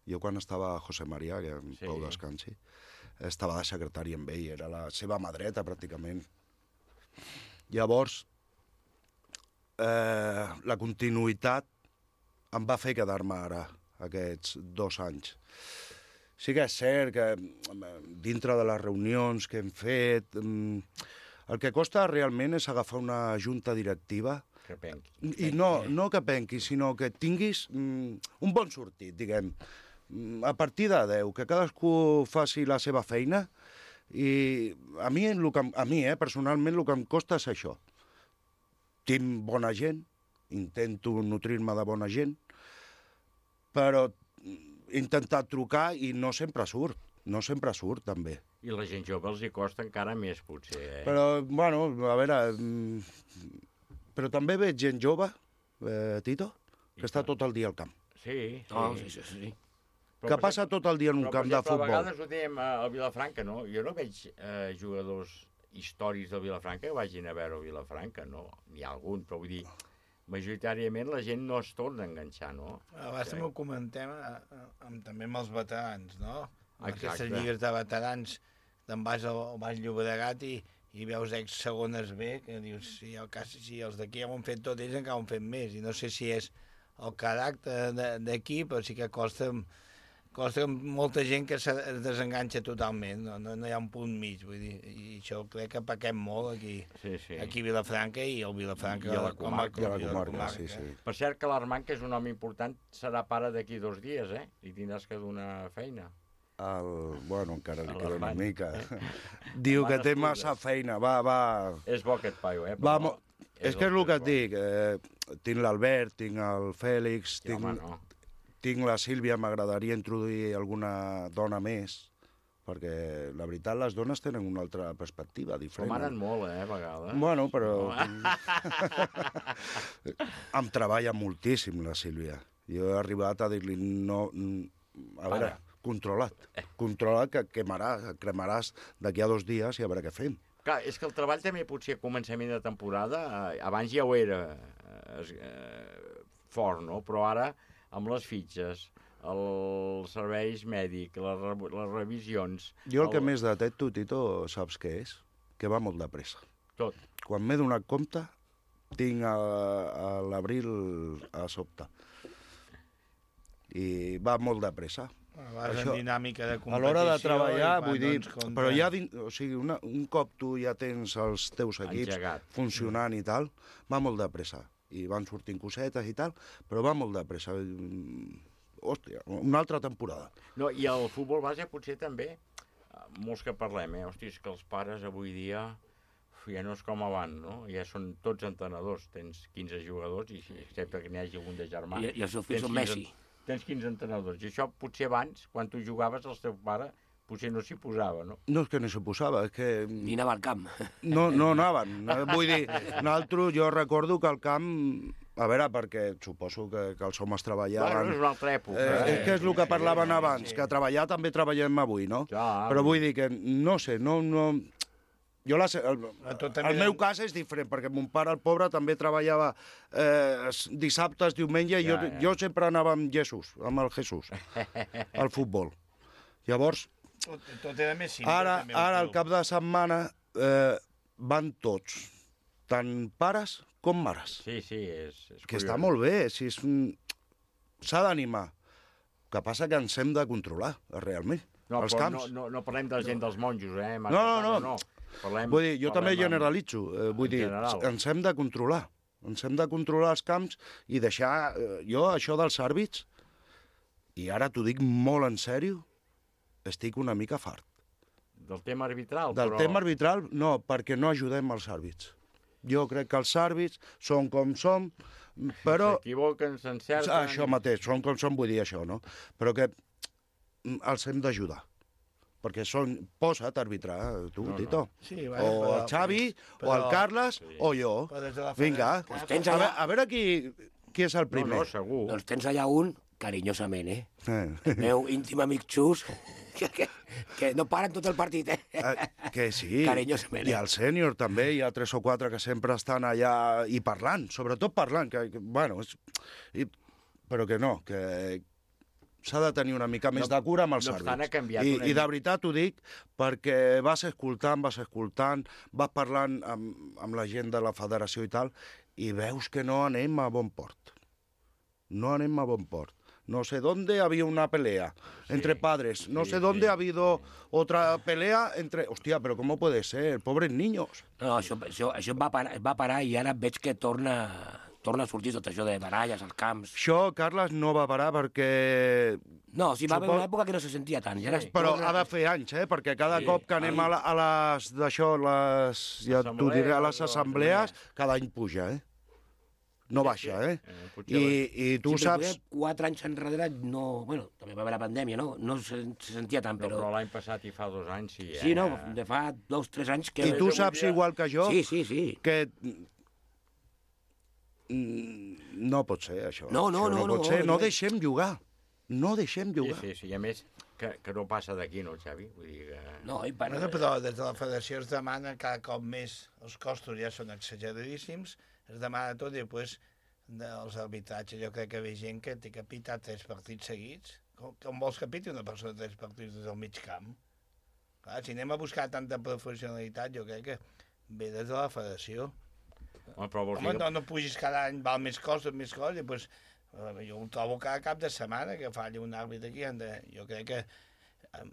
Jo quan estava a José María, que en Sí. Pau descansi, estava de secretari amb ell, era la seva mà dreta, pràcticament. Llavors, eh, la continuïtat em va fer quedar-me ara, aquests dos anys. Sí que és cert que mm, dintre de les reunions que hem fet, mm, El que costa realment és agafar una junta directiva que penqui. I no, no que penqui, sinó que tinguis mm, un bon sortit, diguem. Mm, A partir de deu, que cadascú faci la seva feina, i a mi, el que, em- a mi eh, personalment, el que em costa és això. Tinc bona gent, intento nutrir-me de bona gent, però he intentat trucar i no sempre surt, no sempre surt, també. I la gent jove els hi costa encara més, potser, eh? Però, bueno, a veure... mm, Però també veig gent jove, eh, Tito, que està tot el dia al camp. Sí, sí. Oh, sí, sí, sí. Que passa tot el dia en un Però, per camp de exemple, futbol. a vegades ho dèiem al Vilafranca, no? Jo no veig eh, jugadors històrics del Vilafranca que vagin a veure el Vilafranca, no? N'hi ha algun, però vull dir, majoritàriament la gent no es torna a enganxar, no? Abans també ho comentem eh, amb, també amb els veterans, no? Amb Exacte. aquestes lligues de veterans, te'n vas al, al Baix Llobregat i, i veus ex-segones B, que dius, si, el cas, si els d'aquí ja ho han fet tot, ells encara ho han fet més, i no sé si és el caràcter de- d'aquí, però sí que costa, costa molta gent que se desenganxa totalment, no, no, no hi ha un punt mig, vull dir, i això crec que pequem molt aquí, sí, sí. aquí a Vilafranca i el Vilafranca I a la comarca. com a, i a la comarca, sí, sí. Per cert que l'Armand, que és un home important, serà pare d'aquí dos dies, eh? I tindràs que donar feina. El, bueno, encara li A queda una l'Armand, mica. eh? Diu que Van té estudiar. massa feina, va, va... És bo aquest paio, eh? va Però mo... És que és el que et dic, eh, tinc l'Albert, tinc el Fèlix, Sí, tinc, home, no. tinc la Sílvia, m'agradaria introduir alguna dona més, perquè la veritat les dones tenen una altra perspectiva diferent. Comanen molt, eh, a vegades. Bueno, però... No. Em treballa moltíssim, la Sílvia. Jo he arribat a dir-li, no... A veure, Para. controla't. Controla't que quemaràs, cremaràs d'aquí a dos dies i a veure què fem. Clar, és que el treball també potser a començament de temporada, eh, abans ja ho era eh, es- eh, fort, no? Però ara, amb les fitxes, els serveis mèdics, les, re- les revisions... Jo el que més detecto, Tito, saps què és? Que va molt de pressa. Tot. Quan m'he donat compte, tinc a, a l'abril a sobte. I va molt de pressa. Vas en dinàmica de A l'hora de competició treballar, i quan, vull dir, doncs, contra- però ja, din, o sigui, una, un cop tu ja tens els teus equips Engegat. funcionant i tal, va molt de pressa. I van sortint cosetes i tal, però va molt de pressa. Mm, Hòstia, una altra temporada. No, i el futbol base potser també, eh, molts que parlem, eh? Hosti, és que els pares avui dia uf, ja no és com abans, no? Ja són tots entrenadors, tens quinze jugadors, i si- excepte que n'hi hagi algun de germà. I- i els seus fills tens són quinze Messi. Tens quinze entrenadors, i això potser abans, quan tu jugaves, el teu pare potser no s'hi posava, no? No és que no s'hi posava, és que... Ni anava al camp. No, no anaven. Vull dir, nosaltres, jo recordo que al camp... A veure, perquè suposo que, que els homes treballaven... Bueno, és una altra època, Eh, eh? és que és el que parlaven abans, que treballar també treballem avui, no? Clar. Però vull dir que, no sé, no... no... Jo la, sé- el, tot també- el meu cas és diferent, perquè mon pare, el pobre, també treballava eh, s- dissabtes, diumenge, i jo, Ja, ja. jo sempre anava amb Jesús, amb el Jesús, al futbol. Llavors, Tot, tot era més simple. ara, també, ara el al cap de setmana, eh, van tots, tant pares com mares. Sí, sí, és, és Que està curiós. molt bé, si és... un- s'ha d'animar. El que passa que ens hem de controlar, realment, No, els però camps. no, no, no parlem de la gent dels monjos, eh? No, no, no. no. Parlem, Vull dir, jo també parlem amb- generalitzo. Eh, vull en dir, general. ens hem de controlar. Ens hem de controlar els camps i deixar... Eh, jo, això dels àrbits, i ara t'ho dic molt en sèrio, estic una mica fart. Del tema arbitral, Del però... tema arbitral, no, perquè no ajudem els àrbits. Jo crec que els àrbits són com són, però... S'equivoquen, s'encerten... Això mateix, són com són, vull dir això, no? Però que mm, els hem d'ajudar. Perquè són... Posa't a arbitrar, tu, No, no. Tito. Sí, bueno, o però- el Xavi, però- o el Carles, Sí. o jo. Però des de la Vinga, federació- Pues tens a, allà- veure, a veure qui, qui és el primer. segur. Doncs tens allà un, carinyosament, eh? Eh. El meu íntim amic Xus, que, que, que no paren tot el partit, eh? Eh, que sí, Carinyosament, i eh? al sènior també, hi ha tres o quatre que sempre estan allà i parlant, sobretot parlant, que, que bueno, és, i, però que no, que s'ha de tenir una mica més No- de cura amb els no obstant, àrbits. ha canviat I, una I de mica. veritat ho dic perquè vas escoltant, vas escoltant, vas parlant amb, amb la gent de la federació i tal, i veus que no anem a bon port. No anem a bon port. no sé dónde había una pelea entre padres, no sé dónde ha habido otra pelea entre... Hòstia, però com puede ser? Pobres niños. No, això, això, això va, parar, va parar i ara veig que torna, torna a sortir tot això de baralles als camps. Això, Carles, no va parar perquè... No, sí, va haver una època que no se sentia tant. Ja sí. Però ha de fer anys, eh? Perquè cada sí. cop que anem a, la, a les... d'això, les... ja t'ho diré, a les assemblees, cada any puja, eh? No baixa, eh? I, i tu sí, saps... Quatre anys enrere, no... Bueno, també va haver la pandèmia, no? No se, se sentia tant, però... Però l'any passat i fa dos anys, sí, eh? Sí, no, de fa dos, tres anys que... I tu saps, igual que jo, sí, sí, sí. que... No pot ser, això. No, no, això no. No pot no, ser, no no deixem jugar. No deixem jugar. Sí, sí, sí, i a més, que, que no passa d'aquí, no, Xavi? Vull dir que... No, i per... Però des de la federació es demana cada cop més, els costos ja són exageradíssims, es demana tot i després dels arbitratges. Jo crec que hi ha gent que té que pitar tres partits seguits. Com, com vols que piti una persona tres partits des del mig camp? Clar, si anem a buscar tanta professionalitat, jo crec que ve des de la federació. Home, però vols Home, dir... no, no pugis cada any, val més coses, més coses, i doncs, jo ho trobo cada cap de setmana que falli un àrbitre aquí. De... Jo crec que...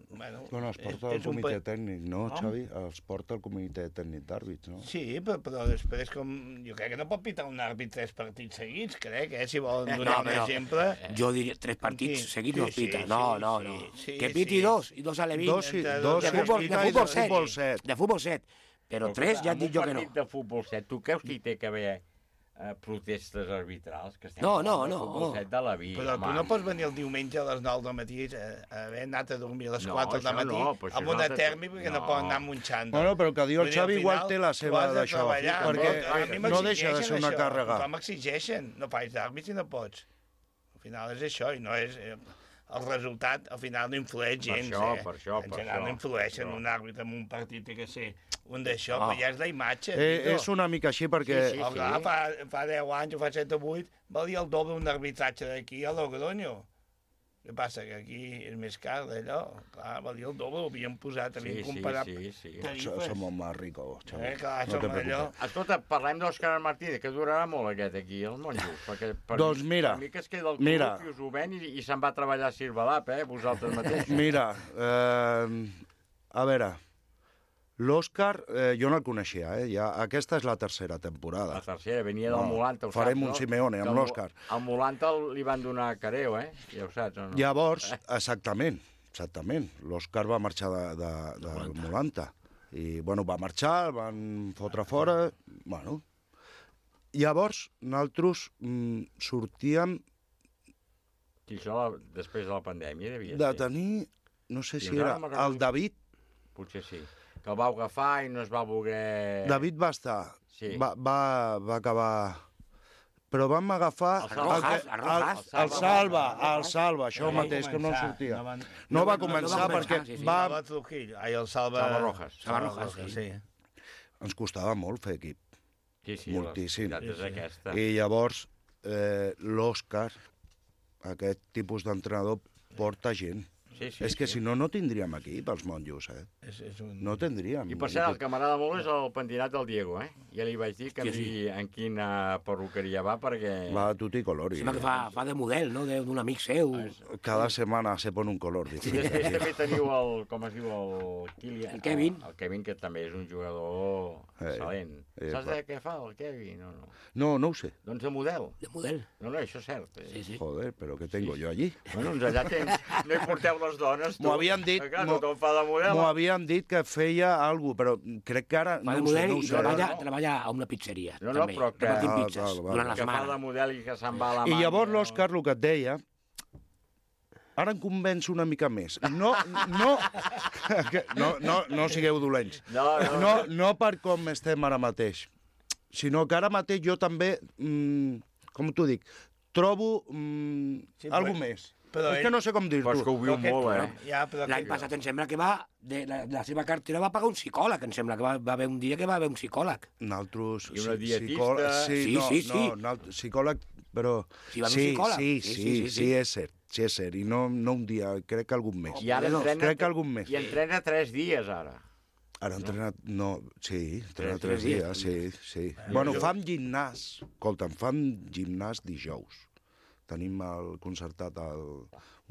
Bueno, bueno, es porta el comitè tècnic, no, no, Xavi? Es porta el comitè tècnic d'àrbits, no? Sí, però, però després, com... jo crec que no pot pitar un àrbit tres partits seguits, crec, eh? Si volen donar no, un exemple... Jo diria tres partits sí, seguits sí, no es pita. Sí, no, sí, no, no. Sí, que piti sí. dos, i dos a l'Evin. Dos, sí, dos, de futbol, sí, de futbol, set, futbol set. De futbol set. Però, però tres ja et dic jo que no. En un partit de futbol set, tu creus que hi té que haver eh, protestes arbitrals? Que estem no, no, no. Futbol set de la vida, però home. tu no pots venir el diumenge a les nou del matí a haver anat a dormir a les no, quatre del matí no, amb una tèrmica perquè no. no poden anar munxant. Bueno, però que diu el Xavi igual té la seva d'això, perquè no, no deixa de ser una això. càrrega. Tothom m'exigeixen, no faig d'àrbit si no pots. Al final és això, i no és... El resultat, al final, no influeix gens, per això, eh? Per això, en per general, això. no influeixen un àrbitre en un partit, té que ser un d'això, Ah. però ja és la imatge. Eh, és una mica així, perquè... Sí, sí, sí. Clar, fa, fa deu anys o fa set o vuit, valia el doble un arbitratge d'aquí a Logroño. Què passa? Que aquí és més car d'allò. Clar, valia el doble, ho havíem posat, havíem sí, comparat sí, sí, sí. tarifes. Som más ricos, Xavi. Eh, clar, no som allò... Escolta, parlem d'Òscar Martínez, que durarà molt aquest aquí, el Monjos, perquè per, doncs mira, per mi que es queda el club mira. i us ho ven i, i se'n va a treballar a Sirvalap, eh, vosaltres mateixos. Mira, eh, a veure, l'Òscar, eh, jo no el coneixia, eh? Ja, aquesta és la tercera temporada. La tercera, venia del No, Molanta, ho farem saps, un no? Simeone amb Que el- l'Òscar. Al Molanta li van donar careo, eh? Ja ho saps, o no? Llavors, exactament, exactament, l'Òscar va marxar de, de, de del Molanta. I, bueno, va marxar, el van fotre fora, bueno... Llavors, nosaltres mm, sortíem... I això la, després de la pandèmia devia de ser. tenir, no sé si Fins ara era no m'agrada. el David. Potser sí. Que el vau agafar i no es va voler... David va estar, Sí. va, va, va acabar... Però vam agafar... El Rojas, que- el Rojas. el, el Salva, el Salva, això No va mateix, que no començar, sortia. no van- No va no començar va perquè començar, sí, sí. va... Salva Trujillo, ai, el Salva... Salva Rojas. Salva Rojas, sí. Ens costava molt fer equip. Sí, sí, Moltíssim. la veritat és aquesta. I llavors, eh, l'Òscar, aquest tipus d'entrenador, porta gent. Sí, sí, és que sí. si no, no tindríem equip els monjos, eh? És, és un... No tindríem. I per cert, el que m'agrada molt és el pentinat del Diego, eh? Ja li vaig dir que Sí, em sí. digui en quina perruqueria va, perquè... Va a tutti colori. Sembla que fa, fa de model, no?, de- d'un amic seu. Cada setmana se pon un color I diferent. després també teniu el, com es diu, el Kilian. El Kevin. El, el Kevin, que també és un jugador Eh, excel·lent. eh, Saps va. de què fa el Kevin o no? No, no ho sé. Doncs de model. De model. No, no, això és cert. Eh? Sí, sí. Joder, però què tengo jo allí? Bueno, doncs allà tens... No hi porteu les dones, tu. M'ho havien dit, Que clar, m'ho- tothom fa de model. m'ho havien dit que feia alguna cosa, però crec que ara... Fa de no ho sé, model no ho i sé. treballa, treballa a una pizzeria, No, no, també. però que- Repartint Ah, pizzas val, val. durant la Que fa de setmana. model i que se'n va a la I mà. llavors l'Òscar el que et deia, ara em convenç una mica més. No, no, que- no, no, no sigueu dolents. No, no. No, no per com estem ara mateix, sinó que ara mateix jo també, mm, com t'ho dic, trobo mm, Sí, algú però- més. però és ell- que no sé com dir-t'ho. Però és que ho viu molt, eh? Ja, però L'any que- passat em sembla que va, de la, de la seva cartera va pagar un psicòleg, em sembla que va, va haver un dia que va haver un psicòleg. Naltros, I una psi- dietista. psicòleg, sí, Sí, no, sí, sí. no, nalt- psicòleg, però... Sí, va a un sí, psicòleg. sí, Sí, sí, sí, sí, sí, sí, sí. és cert, sí és cert, i no, no un dia, crec que algun més. I ara entrena... Crec que algun més. I entrena tres dies, ara. Ara entrena, no, sí, entrena Tres tres dies. dies, sí, sí. Bueno, fam gimnàs, escolta'm, fam gimnàs dijous. tenim el concertat el,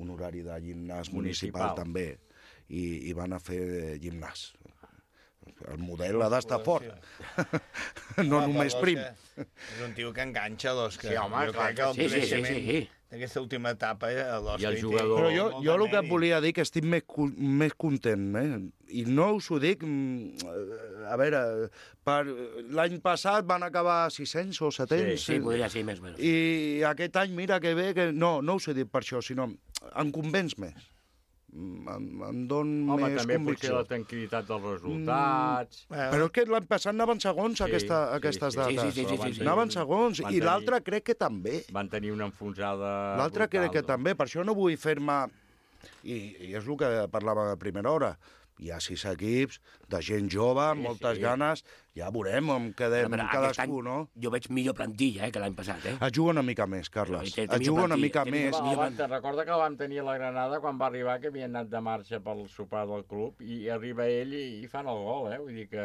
un horari de gimnàs municipal, municipal també, i, i van a fer gimnàs. El model ha d'estar fort, no home, només prim. És un tio que enganxa l'Òscar. Sí, home, jo clar crec que el que sí, sí, sí, sí. d'aquesta última etapa, eh, l'Òscar... I el jugador... Però jo, jo el que et volia dir que estic més, més content, eh? I no us ho dic... A veure, per l'any passat van acabar sis-cents o set-cents... Sí, sí, podria ser més o menys. I aquest any, mira que bé, que no, no us he dit per això, sinó em convenç més. Em, em don Home, més també convicció. potser la tranquil·litat dels resultats... Mm, però és que l'any passat anaven segons Sí, aquesta, sí, aquestes sí, dates. sí, sí, sí, sí, sí. Anaven segons, Van i tenir- l'altre crec que també. Van tenir una enfonsada... L'altre crec que brutal. també, per això no vull fer-me... I, I és el que parlava a primera hora. Hi ha sis equips de gent jove, amb Sí, moltes sí. ganes, ja veurem on quedem Però aquest cadascú, any no? Jo veig millor plantilla eh, que l'any passat, eh? Es juga una mica més, Carles. Té- té Es juga una millor mica plantilla, té més. Va, vam, te'n recorda que el vam tenir a la Granada quan va arribar, que havia anat de marxa pel sopar del club, i arriba ell i, i fan el gol, eh? Vull dir que...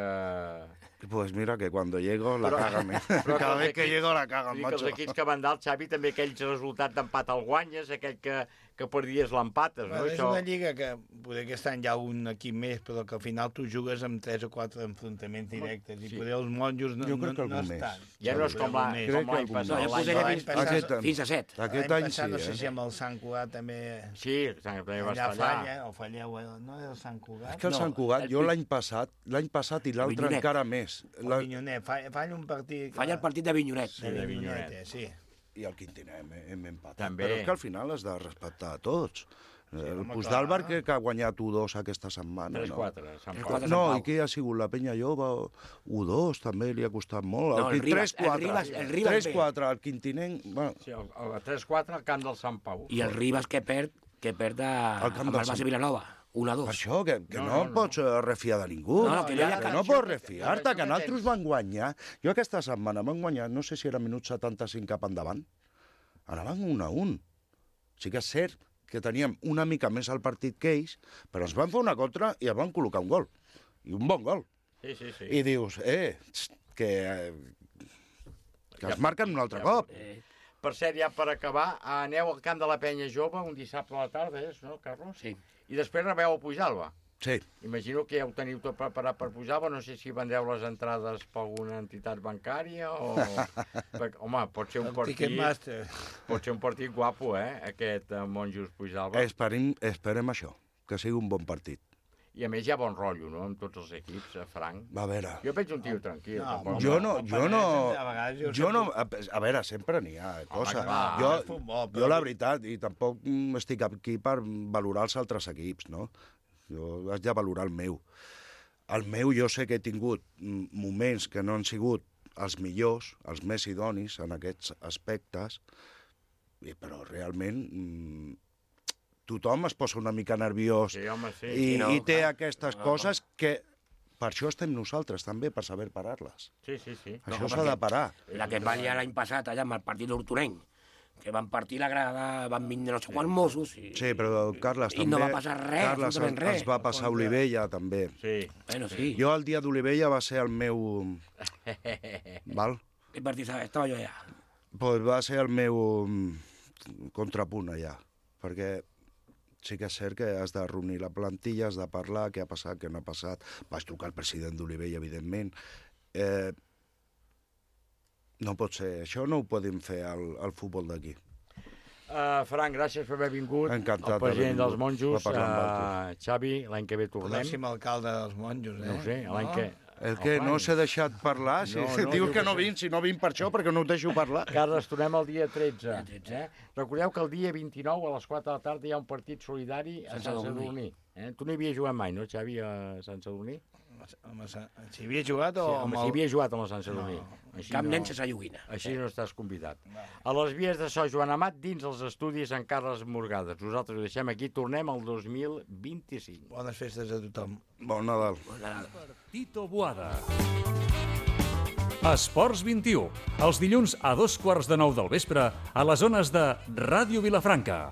Pues mira que cuando llego la Però- cagan. eh? però Cada els vez que equips- llego la cagan, vull dir que macho. els equips que van dalt, Xavi, també aquells resultats d'empat el guanyes, aquell que, que perdies l'empates, no? Bueno, és Això... una lliga que poder aquest any hi ha un equip més, però que al final tu jugues amb tres o quatre enfrontaments directes, i Sí. poder els monjos no, Jo crec que no, no algun més. estan. Ja no és com la- Algun com més. l'any passat. No, jo L'any posaria l'any fins, passat- Aquest- fins a set. Aquest L'any any passat, sí, no sé eh? si amb el Sant Cugat també... Sí, també va Allà estar allà. falla, o falleu, eh? no és el Sant Cugat? És que el No, Sant Cugat, el jo Pi- l'any passat, l'any passat i l'altre Avinyonet. encara més. El La... Vinyonet, falla, falla un partit... Falla el partit de Vinyonet. de de Vinyonet, Vinyonet. eh, sí. I el Quintinet hem, hem empatat. També. Però és que al final has de respectar a tots. Sí, el home, Puigdàlber clar. que ha guanyat u dos aquesta setmana. tres no? quatre, Sant tres Pau. quatre. No, Sant Pau. i què ha sigut? La Penya Jove, u dos, també li ha costat molt. No, el Quin- Ribas- el 3-4. Ribas- el Ribas tres bé. quatre, el Quintinent... Bueno, Sí, el, el tres quatre al camp del Sant Pau. I el Ribas que perd, que perd a, Al camp amb del el base Sant- Vilanova. un a dos. per això, que, que No, no, no, no no. pots eh, refiar de ningú. No, no, que no hi ha que cap- no pots refiar-te, la que nosaltres van guanyar. Jo aquesta setmana van guanyar, no sé si era minut setanta-cinc cap endavant. Anaven un a un. Sí que és cert que teníem una mica més al partit que ells, però ens van fer una contra i ens van col·locar un gol. I un bon gol. Sí, sí, sí. I dius, eh, txt, que, eh, que Ja- es marquen un altre ja- cop. Eh, Per cert, ja per acabar, aneu al camp de la Penya Jove un dissabte a la tarda, és, no, Carlos? sí. I després rebeu a Pujalba. Sí. Imagino que ja ho teniu tot preparat per Pujalba, no sé si vendeu les entrades per alguna entitat bancària o... Perquè, home, pot ser un El partit... Ticketmaster. Pot ser un partit guapo, eh, aquest eh, Monjos Pujalba. Esperem, esperem això, que sigui un bon partit. I a més hi ha bon rotllo, no?, amb tots els equips, eh, Frank. A veure, Jo veig un tio tranquil. No, tampoc. jo no, el jo no, Penedès, a vegades jo jo no, sempre- a, a veure, sempre n'hi ha coses. clar, Jo, és futbol, però- jo la veritat, i tampoc mm, estic aquí per valorar els altres equips, no? Jo haig de valorar el meu. El meu jo sé que he tingut mm, moments que no han sigut els millors, els més idonis en aquests aspectes, i, però realment mm, tothom es posa una mica nerviós Sí, home, sí. i, Sí, no, i té clar. aquestes No, coses que per això estem nosaltres també, per saber parar-les. Sí, sí, sí. Això No, s'ha de parar. La que es va liar l'any passat allà amb el partit d'Hortonenc, que van partir la grada, van vindre no sé quants Mossos i... Sí, però Carles I també... no va passar res, Carles, absolutament ens, res. ens va passar a Olivella, també. Sí. Bueno, sí. Jo el dia d'Olivella va ser el meu... Val? Quin partit estava? Estava jo allà. Pues va ser el meu mm, contrapunt allà, perquè sí que és cert que has de reunir la plantilla, has de parlar, què ha passat, què no ha passat. Vaig trucar al president d'Olivella, evidentment. Eh, no pot ser, això no ho podem fer al, al futbol d'aquí. Uh, Frank, gràcies per haver vingut. Encantat El president d'haver dels vingut monjos. a parlar amb Uh, Xavi, l'any que ve tornem. Pròxim alcalde dels monjos, eh? No ho sé, l'any que... El que no s'ha deixat parlar, si No, no, no, no, dius jo que què no sé. vinc, si no vinc per això, perquè no ho deixo parlar. Carles, tornem el dia tretze. Eh? Recordeu que el dia vint-i-nou a les quatre de la tarda hi ha un partit solidari a Sant Sant Sadurní. Sadurní. Eh? Tu no hi havies jugat mai, no, Xavi, a Sant Sadurní? Home, si havia jugat o... Sí, amb home, el- si havia jugat amb el Sant Sadurní. No. Així Cap no, nen sense joguina. Així no estàs convidat. A les vies de so, Joan Amat, dins els estudis en Carles Morgades. Nosaltres ho deixem aquí, tornem al dos mil vint-i-cinc. Bones festes a tothom. Bon Nadal. Tito Boada. Esports vint-i-u, els dilluns a dos quarts de nou del vespre a les zones de Ràdio Vilafranca.